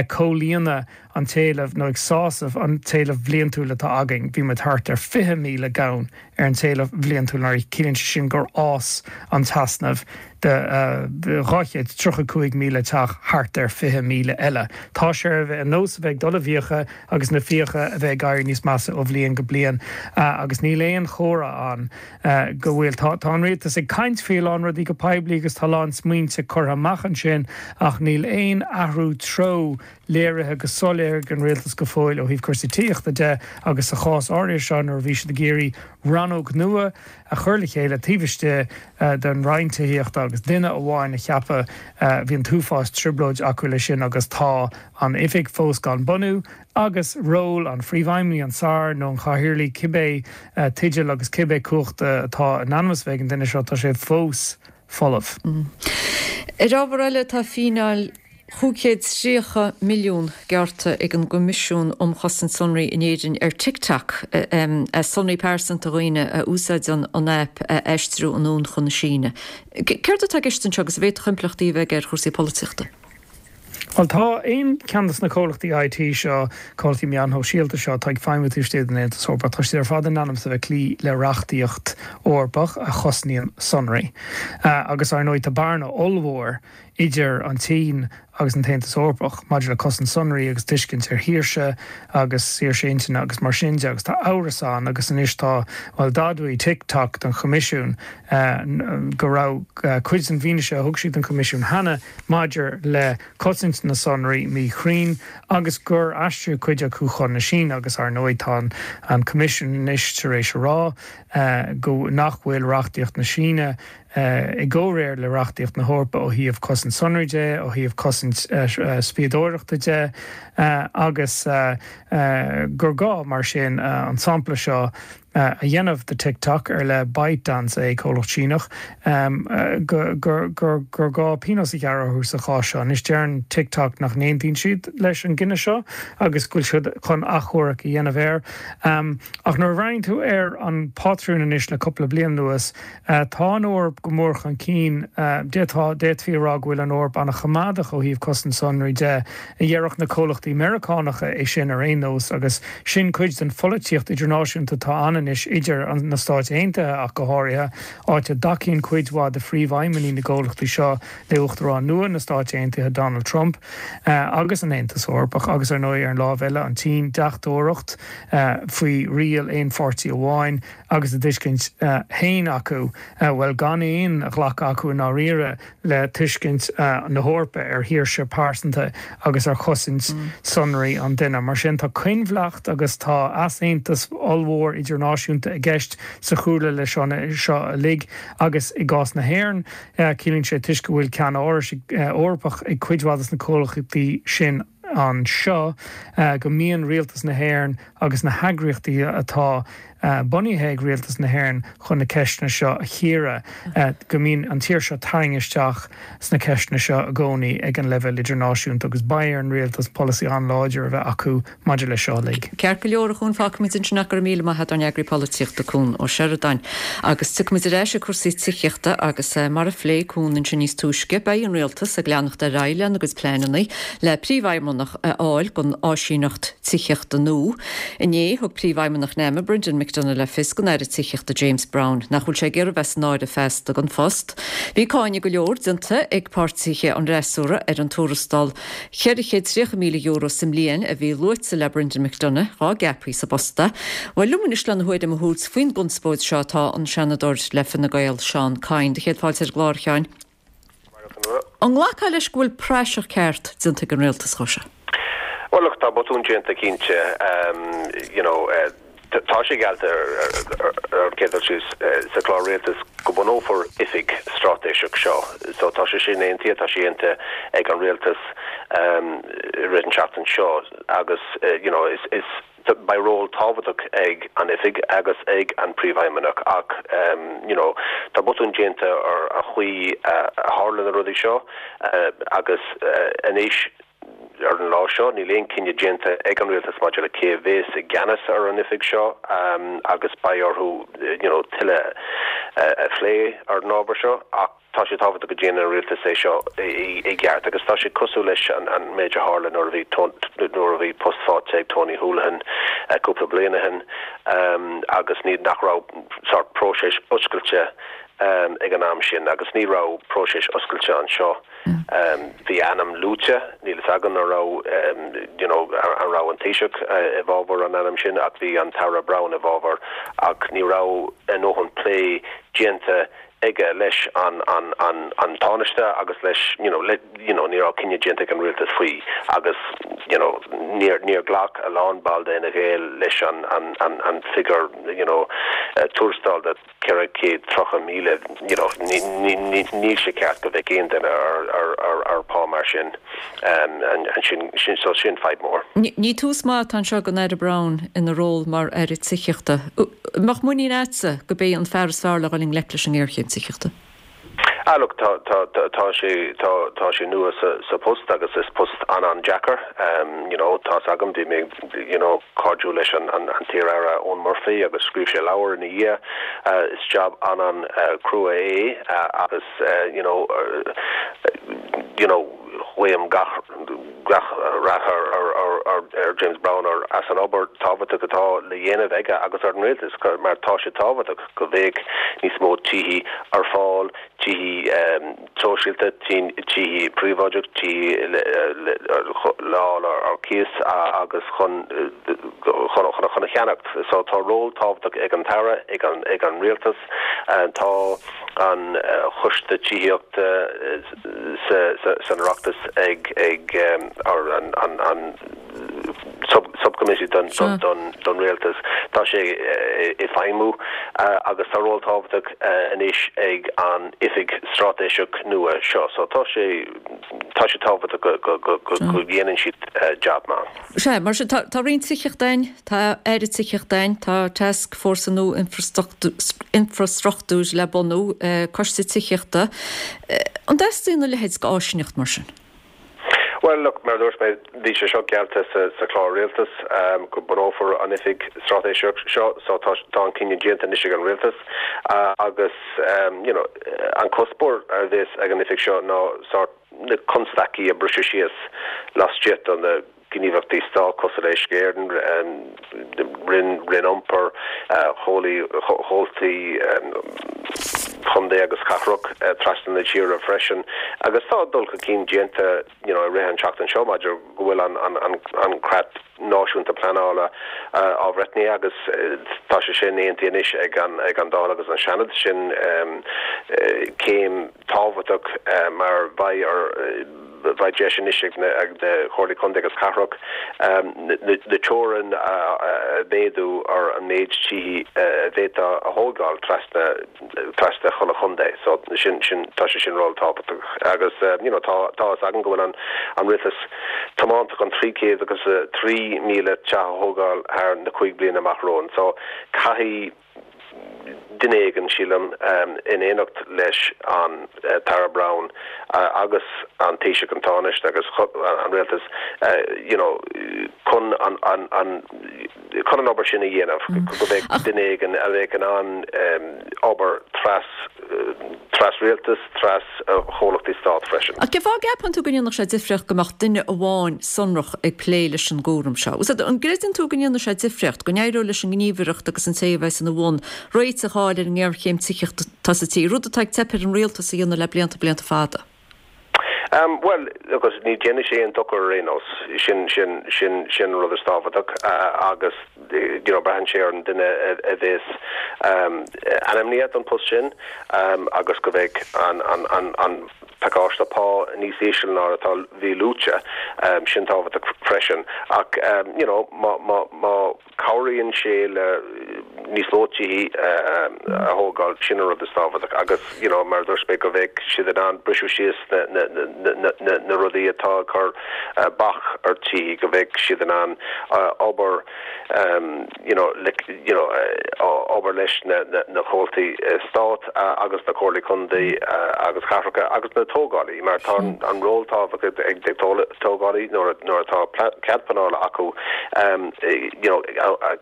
comhlíonadh an t-éileamh nó ag sásamh an t-éileamh bhliantúil atá againn. Bhí muid thart ar 20,000 gann ar an t-éileamh bhliantúil anuraidh. Ciallaíonn sé sin gur fhás an t-easnamh de 235,000 teach thart ar 20,000 eile. Tá sé ar nós a bheith ag dul i bhfiacha agus na fiacha a bheith ag éirí níos measa ó bhliain go bliain agus níl aon chomhartha ann go bhfuil. Tá tá an rialtas ag caint faoi a lán rudaí go poiblí agus tá a lán smaointe curtha amach ansin ach níl aon athrú treo léirithe go soiléir ag an rialtas go fóill ó thaobh cúrsaí tithíochta de agus sa chás áirithe seo nuair a bhí siad ag iarraidh rannóg nua a chur le chéile taobh istigh den Roinn Tithíochta agus duine amháin a cheapadh bhí an t-uafás trioblóid acu leis sin agus tá an oifig fós gan bunú agus ról an Phríomhfheidhmeannaigh, an Sair nó an Chathaoirligh, cibé teideal agus cibé cumhacht atá in ainm is a bheith ag an duine seo, tá sé fós folamh. Ar ábhar eile, tá fíneáil 530 milliún gearrtha ag an gCoimisiún um Chosaint Sonraí in Éirinn ar TikTok as sonraí pearsanta dhaoine a úsáideann an aip a aistriú anonn chun na Síne. Céard atá i gceist anseo agus an bhféadfadh impleachtaí a bheith aige ar chúrsaí polaitíochta? Bhuel, tá aon cheann de na comhlachtaí IT seo, comhlachtaí meáin shóisialta seo atá ag feidhmiú taobh istigh den Aontas Eorpach, tá siad ar fad in ainm is a bheith ag cloí le reachtaíocht Eorpach a chosnaíonn sonraí. Agus, ar ndóigh, tá bearna ollmhór idir an tSín agus an tAontas Eorpach maidir le cosaint sonraí agus tuiscint ar shaoirse agus saoirse intinne agus mar sin de agus tá amhras ann agus anois tá, bhuel, d'admhaigh TikTok don Choimisiún go raibh cuid den bhfianaise a thug siad don Choimisiún cheana maidir le cosaint na sonraí míchruinn agus gur aistríodh cuid acu chun na Síne agus ar ndóigh tá an Coimisiún anois tar éis a rá go nach bhfuil reachtaíocht na Síne i gcomhréir le reachtaíocht na hEorpa ó thaobh cosaint sonraí de, ó thaobh cosaint spiadóireachta de agus gur gá mar sin an sampla seo a dhéanamh de TikTok, ar le ByteDance é, comhlacht Síneach, gur gá pionós a ghearradh orthu sa chás seo. Anois deireann TikTok nach n-aontaíonn siad leis an gcinneadh seo agus go bhfuil siad chun achomharc a dhéanamh air. Ach nuair a bhreathnaíonn tú ar an bpátrún anois le cúpla bliain anuas, Tá an Eoraip go mór chun cinn. D'fhéadfaí a rá go bhfuil an Eoraip an-choimeádach ó thaobh cosaint sonraí de. A déarfadh na comhlachtaí Meiriceánacha é sin ar aon nós agus sin cuid den pholaitíocht idirnáisiúnta atá ann anois idir na Stáit Aontaithe ach go háirithe, áit a dtacaíonn cuid mhaith de phríomhfheidhmeannaigh na gcomhlachtaí seo le Uachtarán nua na Stáit Aontaithe Donald Trump agus an Aontas Eorpach agus ar ndóigh ar an lámh eile an tSín, deachtóireacht faoi riail aon pháirtí amháin. agus a dtuiscint féin acu, bhuel, gan aon ghlacadh acu i ndáiríre le tuiscint na hEorpa ar shaoirse pearsanta agus ar chosaint sonraí an duine. Mar sin, tá coinbhleacht agus tá easaontas ollmhór idirnáisiúnta i gceist sa chúlra leis seo uilig agus i gcás na hÉireann, ciallaíonn sé toisc go bhfuil ceann-árais Eorpach ag cuid mhaith de na comhlachtaí sin anseo, go mbíonn rialtas na hÉireann agus na heagraíochtaí atá bunaithe ag rialtas na hÉireann chun na ceisteanna seo a chíoradh, go mbíonn an tír seo tarraingthe isteach sna ceisteanna seo i gcónaí ag an leibhéal idirnáisiúnta agus beidh ar an rialtas polasaí an-láidir a bheith acu maidir leis seo uilig. Ceart go leor, a Chuain, fágfaimid ansin é, go raibh míle maith agat, ár n-eagraí polaitíochta, Cuan Ó Seireadáin. Agus tiocfaimid ar ais ag cúrsaí tithíochta agus mar a phléigh Cuan ansin níos túisce, beidh an rialtas ag leanacht ar aghaidh lena gcuid pleananna le príomhfheidhmeannach. Príomhfheidhmeannach a fháil don áisíneacht tithíochta nua. Inné, thug Príomhfheidhmeannach NAMA, Brendan McDonagh le fios don Aire Tithíochta James Browne nach bhfuil sé ag iarraidh bheith san áireamh feasta don phost. Bhí cáineadh go leor déanta ag páirtithe an fhreasúra ar an tuarastal €430,000 sa mbliain a bhí luaite le Brendan McDonagh dhá gceapfaí sa bpost é. Bhuel, liom anois lena thuairim a thabhairt faoin gconspóid seo tá an Seanadóir le Fine Gael, Seán Kyne. Do chéad fáilte ar an gclár, a Sheáin. An nglacfá leis go bhfuil praiseach ceart déanta ag an rialtas dhó seo? Bhuel, look, tá botún déanta cinnte, you know, tá sé geallta ar an chéad dul síos sa chlár rialtais go bunófar oifig straitéiseach seo. So tá sé sin aontaithe, tá sé aontaithe ag an rialtas i rith an tseachtain seo agus, you know, is, is, Beidh ról tábhachtach ag an oifig agus ag an Príomhfheidhmeannach ach you know tá botún déanta ar an chaoi a tharla na rudaí seo agus anois ar an lá seo níl aon cinneadh déanta ag an Rialtas maidir le cé a bhéas i gceannas ar an oifig seo agus beidh orthu you know tuilleadh a phlé ar an ábhar seo ach Tá sé tábhachtach go ndéanann an rialtas é seo i gceart agus tá sé cosúil leis an méid a tharla nuair a bhí nuair a bhí post faighte ag Tony Holohan cúpla bliain ó shin agus ní nach raibh sórt próiseas oscailte ag an am sin agus ní raibh próiseas oscailte anseo. Bhí ainm luaite, níl fhios agam an raibh you know an raibh an Taoiseach i bhfabhar an ainm sin ach bhí an tAire Browne i bhfabhar ach ní raibh a ndóthain plé déanta aige leis an an an an Tánaiste agus leis you know le you know ní raibh cinneadh déanta ag an rialtas faoi agus you know níor níor ghlac a lán ball de Fhine Gael leis an an an an figiúr you know tuarastail de 430,000 you know ní ní ní níl sé ceart go mbeadh aon duine ar ar ar ar pá mar sin um an sin sin so sin fadhb mór. Ní tús maith atá anseo don Aire Browne ina ról mar Aire Tithíochta. An mbeadh muinín agatsa gurb é an fear is fearr le dhul i ngleic leis an ngéarchéim tithíochta? Ah look, tá, tá, tá sé, tá, tá sé nua sa, sa post agus is post an-an-deacair. You know, tá's agam, bhí mé, you know, cairdiúil leis an, an, an t-iar-aire Eoghan Murphy agus scríobh sé leabhar ina dhiaidh. Is job an-an-chrua é agus, you know, you know, guím gach, gach rath ar James Browne as an obair tábhachtach atá le dhéanamh aige agus ar an rialtas mar tá sé tábhachtach go mbeadh níos mó tithe ar fáil, tithe sóisialta, tithe príobháideach, tithe le fáil ar cíos agus chun chun a cheannacht. So tá ról tábhachtach ag an tAire, ag an rialtas. Tá an Choiste Tithíochta san Oireachtas ag ag or an an an sub subcommittee don don don rialtas. Tá sé ag feidhmiú agus tá ról tábhachtach anois ag an oifig straitéiseach nua seo. So tá sé tá sé tábhachtach go go go go dhéanann siad jab maith. Sea, mar sin, tá Roinn Tithíochta againn, tá Aire Tithíochta againn, tá Tascfhórsa nua Infreastruchtúir le bunú, Coiste Tithíochta. An dteastaíonn a leithéid d'áisíneacht mar sin? Bhuel, look, mar a dúirt mé, bhí sé seo geallta sa chlár rialtais go bunófar an oifig straitéiseach seo, so tá an cinneadh déanta anois ag an rialtas agus, you know, an cuspóir a bheas ag an oifig seo ná sórt, na constaicí a briseadh síos laistigh de na gníomhaireachtaí stáit cosúil le Uisce Éireann, Roinn Roinn Iompair, Comhaltaí Chontae agus Cathrach trasna na tíre freisin. Agus tá dul chun cinn déanta you know i rith an tseachtain seo maidir go bhfuil an an an creat náisiúnta pleanála athbhreithnithe agus tá sé sin aontaithe anois ag an ag an Dáil agus an Seanad. Sin céim tábhachtach mar beidh ar beidh deis anois ag na Comhairlí Contae agus Cathrach na teorainn a mhéadú ar an méid tithe a bhféadfá a thógáil trasna trasna chuile chontae. So sin sin tá sé sin ról tábhachtach agus you know tá tá fhios againn go bhfuil an an rialtas tiomanta chun 300 agus 3,000 teach a thógáil thar na 5 bliana amach romhainn. So caithfidh duine éigin, sílim, in éineacht leis an tAire Browne agus an Taoiseach, an Tánaiste agus an Rialtas, you know, chun an, an, an, chun an obair sin a dhéanamh, go mbeadh duine éigin a bheadh in ann obair tras. Tras-rialtas, tras-chomhlachtaí stát freisin. Ach cén fáth a gceapann tú go ndéanfadh sé difríocht go mbeadh duine amháin sonrach ag plé leis an gcúram seo? An gcreideann tú go ndéanfaidh sé difríocht, go n-éireoidh leis an ngníomhaireacht agus an té a bheas ina bhun réiteach a fháil ar an ngéarchéim tithíochta atá sa tír, rud atá ag teip ar an rialtas a dhéanamh le blianta, blianta fada? Bhuel, agus ní dhéanfaidh sé aon dochar ar aon nós, sin, sin, sin, sin an rud is tábhachtach agus you know braitheann sé ar an duine a bhéas ainmnithe don post sin agus go mbeidh an, an, an, an pacáiste pá níos íseal ná atá, bhí luaite, sin tábhachtach freisin. Ach you know má, má, má. Cabhraíonn sé le níos mó tithe a thógáil, sin an rud is tábhachtach agus you know mar a dúirt mé go mbeidh siad in ann briseadh síos na na na rudaí atá ag cur bac ar tithe, go mbeidh siad in ann obair you know le you know obair leis na na comhaltaí stát agus na comhairlí contae agus cathracha agus na tógálaí mar tá an ról tábhachtach ag tógálaí nuair nuair atá cead pleanála acu. you know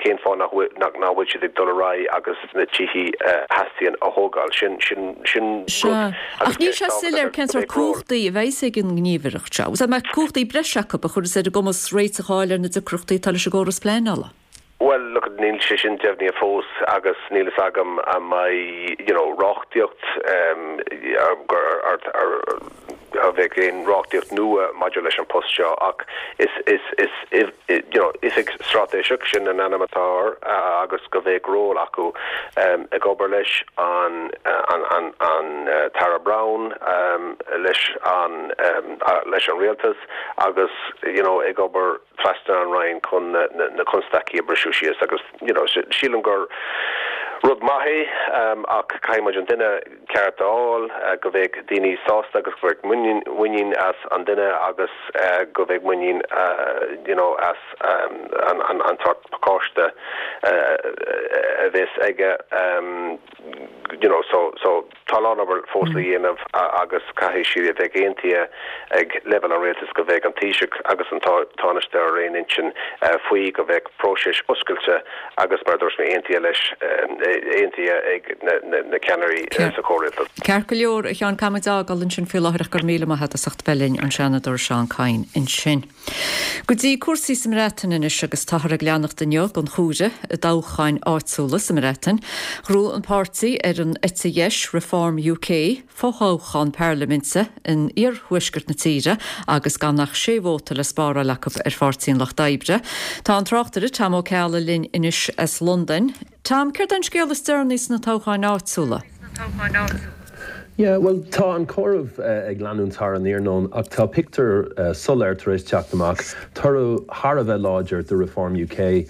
cén fáth nach bhfuil nach nach bhfuil siad ag dul ar aghaidh agus na tithe a theastaíonn a thógáil. Sin sin sin Sea. rud Ach agus níl ceist sé tábhachtach soiléir cén go sórt mbeidh ról. cumhachtaí a bheas ag an ngníomhaireacht seo. An mbeidh cumhachtaí breise acu a chuirfeas ar a gcumas réiteach a fháil ar na deacrachtaí atá leis an gcóras pleanála? Bhuel, look, níl sé sin deimhnithe fós agus níl fhios agam an mbeidh, you know, reachtaíocht, gur ar, ar, an mbeidh aon reachtaíocht nua maidir leis an post seo ach is, is, is, you know, oifig straitéiseach, sin an ainm atá air agus go mbeidh ról acu ag obair leis an, an, an, an tAire Browne, leis an, leis an Rialtas agus, you know, ag obair trasna an Roinn chun na constaicí a briseadh síos agus you know sílim gur rud maith é ach caithfidh muid an duine ceart a fháil, go mbeidh daoine sásta agus go mbeidh muinín as an duine agus go mbeidh muinín you know as an an sórt pacáiste a bheas aige you know so so Tá a lán obair fós le dhéanamh agus caithfidh sé a bheith aontaithe ag leibhéal an rialtais go mbeidh an Taoiseach agus an Tánaiste ar aon intinn faoi, go mbeidh próiseas oscailte agus, mar a dúirt mé, aontaithe leis, aontaithe ag na ceannairí sa chomhrialtas. Ceart go leor, a Sheáin, caithfidh muid a fhágáil ansin faoi láthair ach go raibh míle maith agat as ucht bheith linn, an Seanadóir Seán Kyne ansin. Go dtí cúrsaí sa mBreatain anois agus táthar ag leanacht inniu den chomhaireamh i dtoghcháin áitiúla sa mBreatain. Ghnóthaigh an páirtí ar an eite dheis, Reform UK, fothoghchán parlaiminte in iarthuaisceart na tíre agus gan ach sé vóta le spáráil acu ar Pháirtí an Lucht Oibre. Tá an tráchtaire Tom Ó Ceallaigh linn anois as Londain. Tom, céard é an scéal is deireanaí sna toghcháin áitiúla? Yeah, bhuel, tá an comhaireamh ag leanúint thar an iarnóin ach tá pictiúr soiléir tar éis teacht amach, toradh thar a bheith láidir do Reform UK,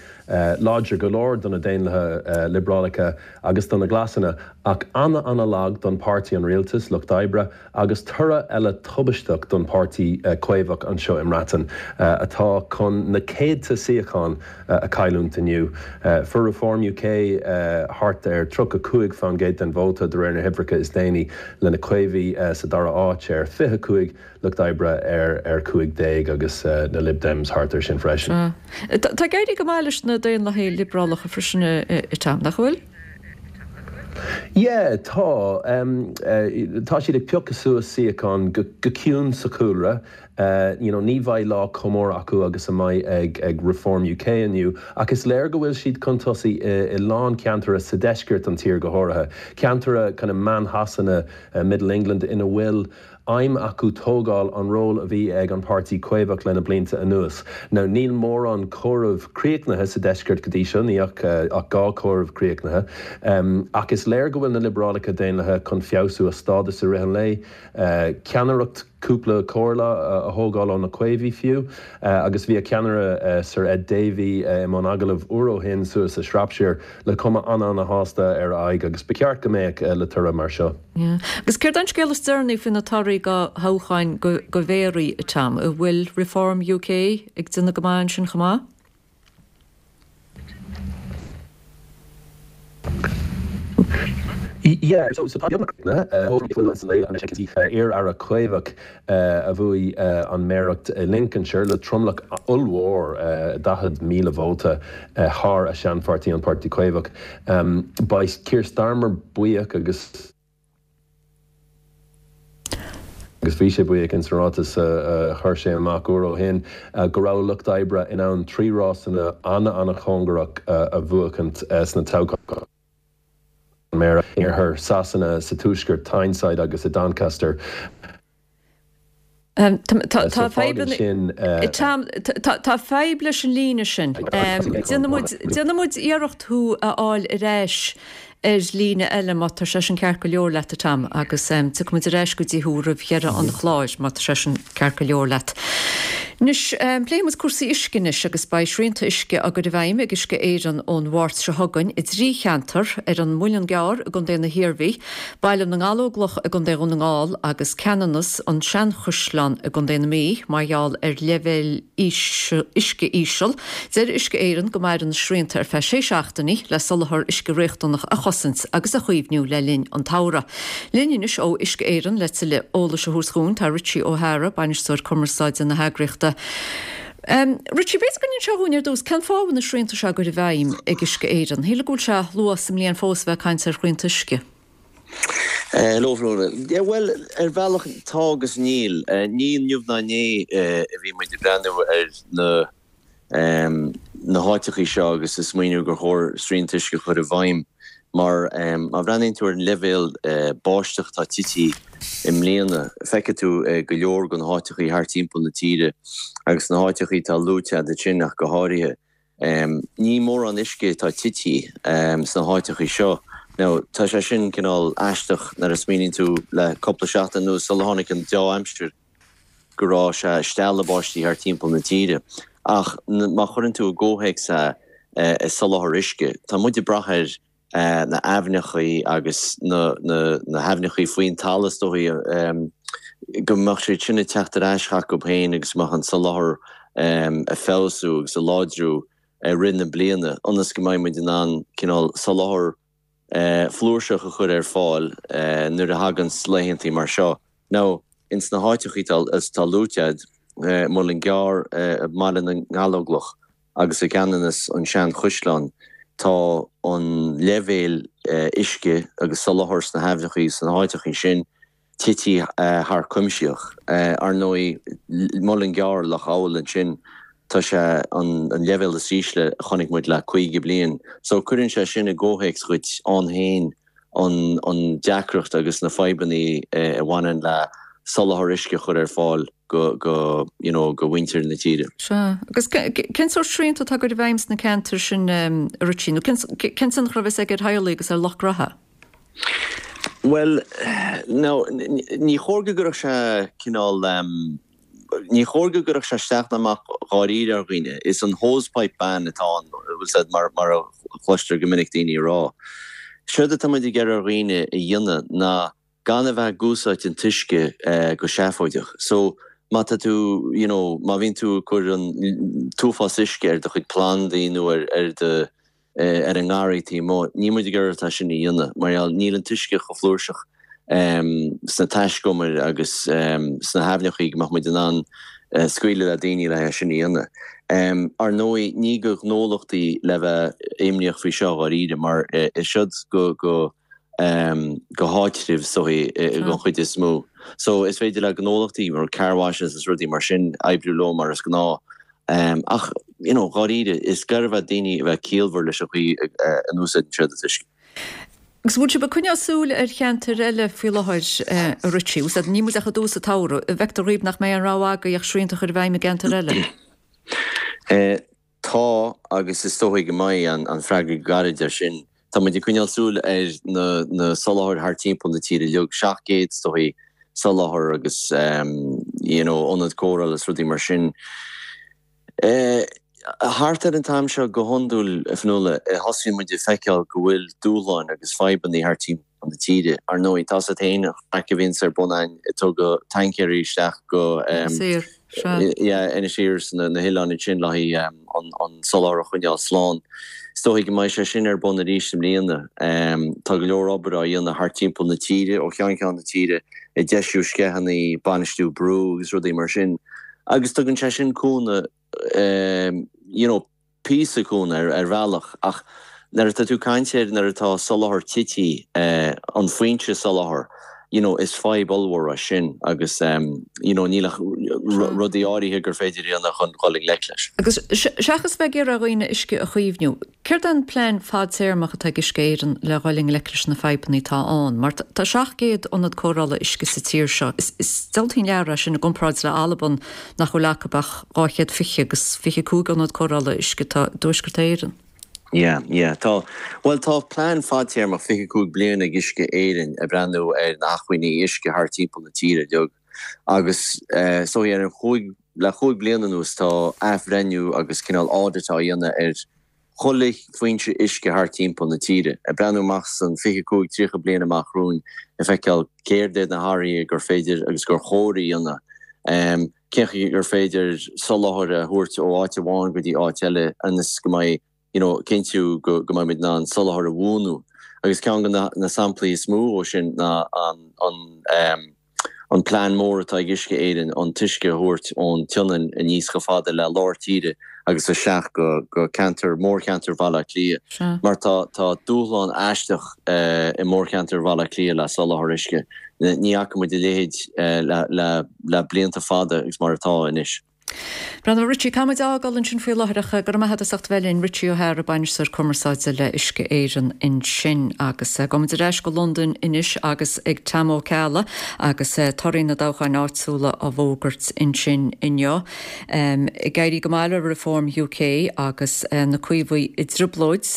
láidir go leor do na Daonlathaithe Liobrálacha agus do na Glasanna ach ana-ana-lag don páirtí an rialtais, Lucht Oibre. Agus toradh eile tubaisteach don Páirtí Caomhach anseo i mBreatain, atá chun na céadta suíochán a chailliúint inniu. Fuair Reform UK thart ar 35% den vóta de réir na huimhreacha is déanaí, le na Caomhaigh sa dara háit ar 25, Lucht Oibre ar 15 agus na Lib Dems thart ar sin freisin. Tá ag éirí go maith leis na Daonlathaithe Liobrálacha freisin, a Tom, nach bhfuil? Yeah, tá. Tá siad ag piocadh suas suíochán go ciúin sa chúlra. You know, ní bheidh lá chomh mór acu agus a mbeidh ag ag Reform UK inniu, ach is léir go bhfuil siad chun tosaigh i lán ceantair sa deisceart an tír go háirithe. Ceantair kind of meán-Shasana, Middle England ina bhfuil aidhm acu tógáil an ról a bhí ag an Páirtí Caomhach le na blianta anuas. Now níl mórán comhaireamh críochnaithe sa deisceart go dtí seo, ní ach ach 2 comhaireamh críochnaithe. Ach is léir go bhfuil na Liobrálacha Daonlathaithe chun feabhsú a stádas i rith an lae, ceannaireacht cúpla comhairle a thógáil ó na Caomhaigh fiú. Agus bhí a ceannaire Sir Ed Davey i mbun agallaimh uair ó shin suas i Shropshire le cuma an-an-shásta ar a aghaidh agus ba cheart go mbeadh le toradh mar seo. Agus céard é an scéal is deireanaí faoi na torthaí do thoghcháin do mhéaraí, a Tom? An bhfuil Reform UK ag déanamh go maith ansin chomh maith? Yeah, so tá beagnach iar-aire Caomhach a bhuaigh an méaracht i Lincolnshire le tromlach ollmhór, 40,000 vóta, thar a seanpháirtí, an Páirtí Caomhach. Beidh Keir Starmer buíoch agus. Agus bhí sé buíoch ins an ráiteas a chuir sé amach uair ó shin go raibh Lucht Oibre in ann 3 rásanna ana-ana-chóngarach a bhuachaint sna toghcháin méara in iarthar Sasana, sa tuaisceart, Tyneside agus i Doncaster. Tá fadhb leis an líne sin. Déanfaidh muid iarracht thú a fháil ar ais ar líne eile má tá sé sin ceart go leor leat, a Tom, agus tiocfaidh muid ar ais go dtí thú roimh dheireadh an chláir má tá sé sin ceart go leor leat. Anois, pléifidh muid cúrsaí uisce anois agus beidh srianta uisce á gcur i bhfeidhm ag Uisce Éireann ón Mháirt seo chugainn i dtrí cheantar, ar an Muileann gCearr i gContae na hIarmhí, Baile na nGallóglach i gContae Dhún na nGall agus Ceanannas, An Seanchaisleán i gContae na Mí mar gheall ar leibhéil uisce íseal. Deir Uisce Éireann go mairfidh na srianta ar feadh sé seachtainí le soláthar uisce riachtanach a chosaint agus a chaomhnú le linn an tsamhraidh. Linn anois ó Uisce Éireann le tuilleadh eolais a thabhairt dhúinn tá Richie O'Hara, Bainisteoir Cumarsáide na heagraíochta. Richie, b'fhéidir go n-inseofá dhúinn ar dtús cén fáth a bhfuil na srianta seo á gcur i bhfeidhm ag Uisce Éireann? Shílfeá go bhfuil sé luath sa mbliain fós a bheith ag caint ar shrianta uisce. Hello Fionnuala. Yeah bhuel, ar bhealach tá agus níl. Ní inniu ná inné a bhí muid ag breathnú ar na na háiteachaí seo agus ag smaoineamh gur chóir srianta uisce a chur i bhfeidhm mar má bhreathnaíonn tú ar an leibhéal báisteach atá tití i mbliana, feicfidh tú go leor de na háiteachaí thart timpeall na tíre agus na háiteachaí atá luaite agat ansin ach go háirithe. Ní mórán uisce atá tití sna háiteachaí seo. Now, tá sé sin cineál aisteach nuair a smaoiníonn tú le cúpla seachtain anuas sular tháinig an deá-aimsir go raibh sé ag stealladh báistí thart timpeall na tíre. Ach má chuireann tú i gcomhthéacs é i soláthar uisce, tá muid ag brath ar na haibhneachaí agus na haibhneachaí faoin talamh is dóichí go mbeadh siad sin ag teacht ar ais chucu féin agus go mbeadh an soláthar ag feabhsú agus ag láidriú i rith na bliana ionas go mbeidh muid in ann cineál soláthar flúirseach a chur ar fáil nuair a thaganns laethantaí mar seo. Now, ins na háiteachaí atá luaite a'd, Muileann gCearr, Baile na nGallóglach agus i gCeanannas, an Seanchaisleán, tá an leibhéal uisce agus soláthar sna haibhneachaí sna háiteachaí sin tití thar cuimseach. Ar ndóigh, Muileann gCearr, Loch Gabhal ansin, tá sé an leibhéal is ísle a chonaic muid le 50 bliain. So cuireann sé sin i gcomhthéacs dhuit ann féin an deacracht agus na fadhbanna a bhaineann le soláthar uisce a chur ar fáil go, go, you know, go mhuintir na tíre. Sea. Agus cén sórt srianta atá á gcur i bhfeidhm sna ceantair sin, a Richie? Nó cén, cén tionchar a bheas aige ar theaghlaigh agus ar lucht graithe? Bhuel, now, ní chóir go gcuirfeadh sé cineál, ní chóir go gcuirfeadh sé isteach ná amach dháiríre ar dhaoine. Is an hosepipe ban atá ann, bhfuil 's a'd, mar, mar a chloistear go minic daoine ag rá. Séard atá muid ag iarraidh ar dhaoine a dhéanamh ná gan a bheith ag úsáid an t-uisce go seafóideach. So, má tá tú, you know, má bhíonn tú ag cur an t-uafás uisce ar do chuid plandaí nó ar, ar do, ar an ngarraí taobh amuigh, níl muid ag iarraidh ort é sin a dhéanamh mar gheall níl an t-uisce chomh flúirseach sna taiscumair agus sna haibhneachaí go mbeadh muid in ann scaoileadh le daoine le é sin a dhéanamh. Ar ndóigh, ní go gnólachtaí le bheith imníoch faoi seo dháiríre mar is siod go go go háitribh is dóichí don chuid is mó. So is féidir le gnólachtaí mar car washes is rudaí mar sin oibriú leo mar is gnáth. Ach, you know, dháiríre, is gá do dhaoine a bheith ciallmhar leis an chaoi a n-úsáideann siad an t-uisce. Agus bhfuil sibh ag coinneáil súil ar cheantair eile faoi láthair, a Richie? Bhfuil níl muid ach i dtús an tsamhraidh. An bhfeictear dhaoibh nach mbeidh aon rogha agaibh ach srianta a chur i bhfeidhm i gceantair eile? Tá, agus is dóichí go mbeidh, an freagra gairid air sin. Tá muid ag coinneáil súil ar na na soláthair thart timpeall na tíre uilig, 700 is dóichí soláthar agus you know ionad cóireála is rudaí mar sin. Thart ar an t-am seo go hiondúil, a Fionnuala, thosaíonn muid ag feiceáil go bhfuil dúshláin agus fadhbanna thart timpeall na tíre. Ar ndóigh, tá's a't féin an chraic a bhíonns ar bun a'inn ag tugadh taincéirí isteach go Sea. Yeah, Inis Oírr is na hoileáin ansin le haghaidh an soláthar a choinneáil slán. Is dóichí go mbeidh sé sin ar bun arís i mbliana. Tá go leor obair á dhéanamh thart timpeall na tíre, ó cheann ceann na tíre, ag deisiú sceitheanna, bainistiú brú agus rudaí mar sin. Agus tugann sé sin cúnamh, you know, píosa cúnamh ar bhealach ach nuair atá tú ag caint ar nuair atá soláthar tití, an foinse soláthair. You know, is fadhb ollmhór é sin agus you know níl ach rudaí áirithe gur féidir a dhéanamh chun dhul i ngleic leis. Agus seachas bheith ag iarraidh ar dhaoine uisce a chaomhnú, céard é an plean fadtéarmach atá ag Uisce Éireann le dhul i ngleic leis na fadhbanna atá ann? Mar tá 700 ionad cóireála uisce sa tír seo. Is diabhaltaí an lear é sin i gcomparáid le Albain nach bhfuil acu ach 220 agus 25 ionad cóireála uisce atá i dTuaisceart Éireann. Yeah, yeah. Tá, bhuel tá plean fadtéarmach 25 bliain ag Uisce Éireann ag breathnú ar na hacmhainní uisce thart timpeall na tíre uilig agus so ar an chúig, le chúig bliana anuas tá athbhreithniú agus cineál audit á dhéanamh ar chuile foinse uisce thart timpeall na tíre, ag breathnú amach san 25, 30 bliain amach romhainn ag feiceáil céard iad na hathruithe gur féidir agus gur chóir a dhéanamh. Cén chaoi gur féidir soláthar a thabhairt ó áit amháin go dtí áit eile ionas go mbeidh, you know, cinntiú go go mbeidh muid in ann soláthar a bhuanú. Agus ceann de na na samplaí is mó ó sin ná an an ehm an plean mór atá ag Uisce Éireann an t-uisce a thabhairt ón tSionainn aníos chomh fada le lár tíre agus isteach go go ceantar mórcheantar Bhaile Átha Cliath mar tá tá dúshlán aisteach i mórcheantar Bhaile Átha Cliath le soláthar uisce. Ní fhaca muid a leithéid le le le blianta fada agus mar atá anois. Breandán, Richie, caithfidh muid a fhágáil ansin faoi láthair ach go raibh maith agat as ucht a bheith linn. Richie Ó hEadhra, Bainisteoir Cumarsáide le Uisce Éireann ansin. Agus gabhfaidh muid ar ais go Londain anois agus ag Tom Ó Ceallaigh agus torthaí na dtoghcháin áitiúla á bhfógairt ansin inniu. Ag éirí go maith le Reform UK agus na Caomhaigh i dtrioblóid.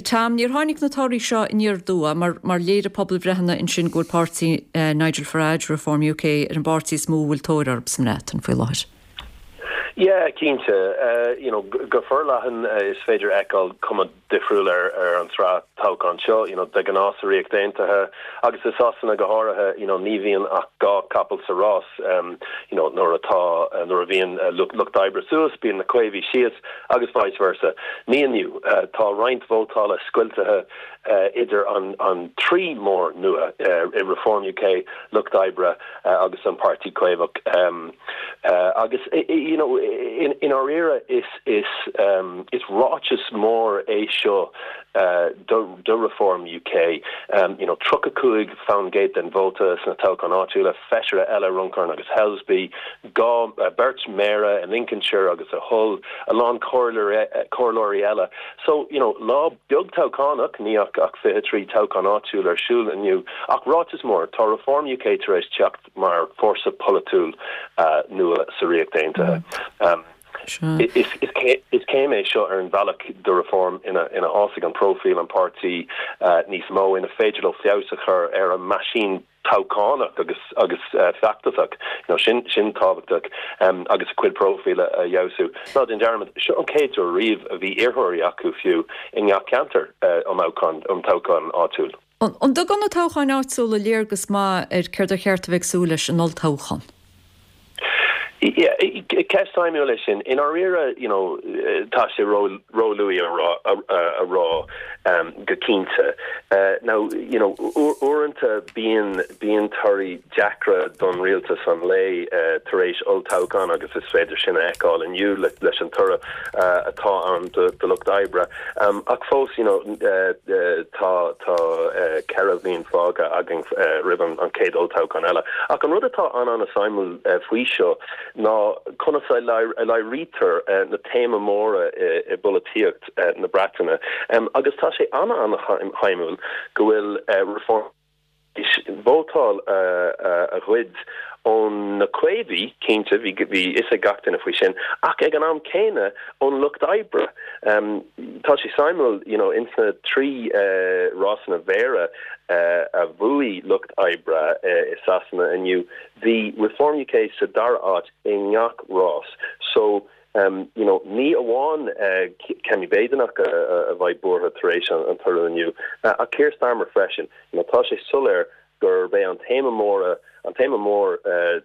Tom, níor tháinig na torthaí seo aniar aduaidh mar mar léirigh pobalbhreitheanna ansin go bhfuil páirtí Nigel Farage, Reform UK, ar an bpáirtí is mó a bhfuil tóir orthu sa mBreatain faoi láthair. Yeah, cinnte. You know, go forleathan is féidir a fheiceáil cuma difriúil ar ar an tsraith toghchán seo. You know, de ghnáth sa Ríocht Aontaithe agus i Sasana go háirithe, you know, ní bhíonn ach dhá capall sa rás. You know, nuair atá, nuair a bhíonn lucht oibre suas, bíonn na Caomhaigh síos agus vice versa. Ní inniu. Tá roinnt vótála scoiltithe idir an an trí mór nua i Reform UK, Lucht Oibre agus an Páirtí Caomhach. Agus, you know, i ndáiríre is is is ráiteas mór é seo do do Reform UK. You know, 35 faoin gcéad den vóta sna toghcháin áitiúla, feisire eile, Runcorn agus Helsby, dhá, beirt méara i Lincolnshire agus i Hull, a lán comhairleoirí eile. So, you know, lá beag toghchánach, ní ach ach 23 toghchán áitiúil ar siúl inniu, ach ráiteas mór, tá Reform UK tar éis teacht mar fórsa polaitiúil nua sa Ríocht Aontaithe. Is céim é seo ar an bhealach do Reform ina fhásfaidh an próifíl an páirtí níos mó, ina féidir leo feabhas a chur ar a meaisín toghchánach agus agus feachtasach. You know, sin sin tábhachtach agus a cuid próifíle a fheabhsú. Ná déan dearmad, seo an chéad uair riamh a bhí iarrthóirí acu fiú i ngach ceantar um um toghchán áitiúil. An dtugann na toghcháin áitiúla léargas maith ar céard ar cheart a bheith ag súil leis in olltoghchán? Yeah, ceist suimiúil é sin. I ndáiríre, you know, tá sé ró-luath a a rá go cinnte. Now, you know, uaireanta bíonn bíonn torthaí deacra don rialtas an lae tar éis olltoghchán agus is féidir sin a fheiceáil inniu leis an toradh atá ann do Lucht Oibre. Ach fós, you know, tá tá 4 bhliain fágtha againn roimh an chéad olltoghchán eile. Ach an rud atá an-an-suimiúil faoi seo ná conas a léirítear na téamaí móra i bpolaitíocht na Breataine. Agus tá sé an-an-shuimiúil go bhfuil Reform vótáil a ghoid ó na Caomhaigh, cinnte, bhí fhios ag gach duine faoi sin, ach ag an am céanna ón Lucht Oibre. Tá sé suimiúil, you know, ins na 3 rásanna mhéara a bhuaigh Lucht Oibre i Sasana inniu, bhí Reform UK sa dara áit i ngach rás. So, you know, ní amháin Kemi Badenoch a bheidh buartha tar éis an toradh inniu, ach Keir Starmer freisin. You know, tá sé soiléir gurb é an téama móra, an téama mór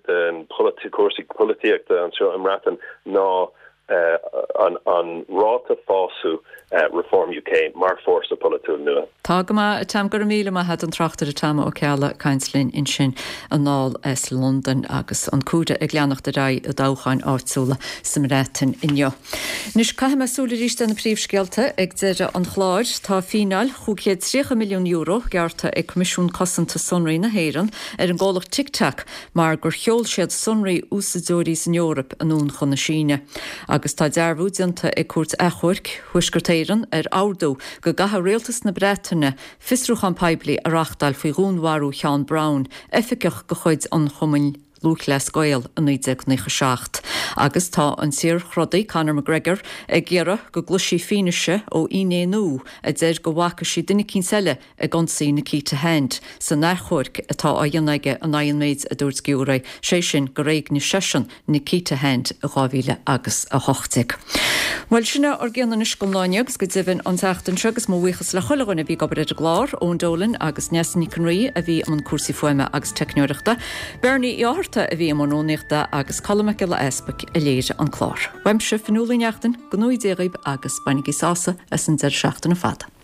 den cúrsaí polaitíochta anseo i mBreatain ná. An ráta fásadh Reform UK mar fórsa polaitiúil nua. Tá go maith, a Tom. Go raibh míle maith a't, an tráchtaire Tom Ó Ceallaigh ag caint linn ansin anall as Londain agus an comhaireamh ag leanacht ar aghaidh i dtoghcháin áitiúla sa mBreatain inniu. Anois caithfidh mé súil arís ar na príomhscéalta ag deireadh an chláir. Tá fíneáil €530 milliún gearrtha ag Coimisiún Cosanta Sonraí na hÉireann ar an gcomhlacht TikTok mar gur sheol siad sonraí úsáideoirí san Eoraip anonn chun na Síne. Agus tá dearbhú déanta ag Cúirt Achomhairc Thuaisceart Éireann ar ordú go gcaithfidh Rialtas na Breataine fiosrúchán poiblí a reachtáil faoi dhúnmharú Sheán Brown, oifigeach de chuid an Chumainn Lúthchleas Gael i 1997. Agus tá an saorthrodaí Conor McGregor ag iarraidh go gcloisfí fianaise ó fhinné nua a deir go bhfaca sí duine eicínt eile ag ionsaí Nikita Hand san achomharc atá á dhéanamh aige in aghaidh an méid a dúirt giúiré, sé sin gur éignigh seisean Nikita Hand i 2018. Bhuel, sin é ár gcion anois don lá inniu agus go deimhin an tseachtain seo agus mo bhuíochas le chuile dhuine a bhí ag obair ar an gclár, Eoin Dolan agus Neasa Nic an Rí a bhí i mbun cúrsaí fuaime agus teicneoireachta, Bernie Uí Fhátharta a bhí i mbun rúnaíochta agus Colm Mac Giolla Easpaig a léirigh an clár. Uaimse, Fionnuala Uí Neachtain, go ngnóthaí Dia dhaoibh agus bainigí sásamh as an deireadh seachtaine fada.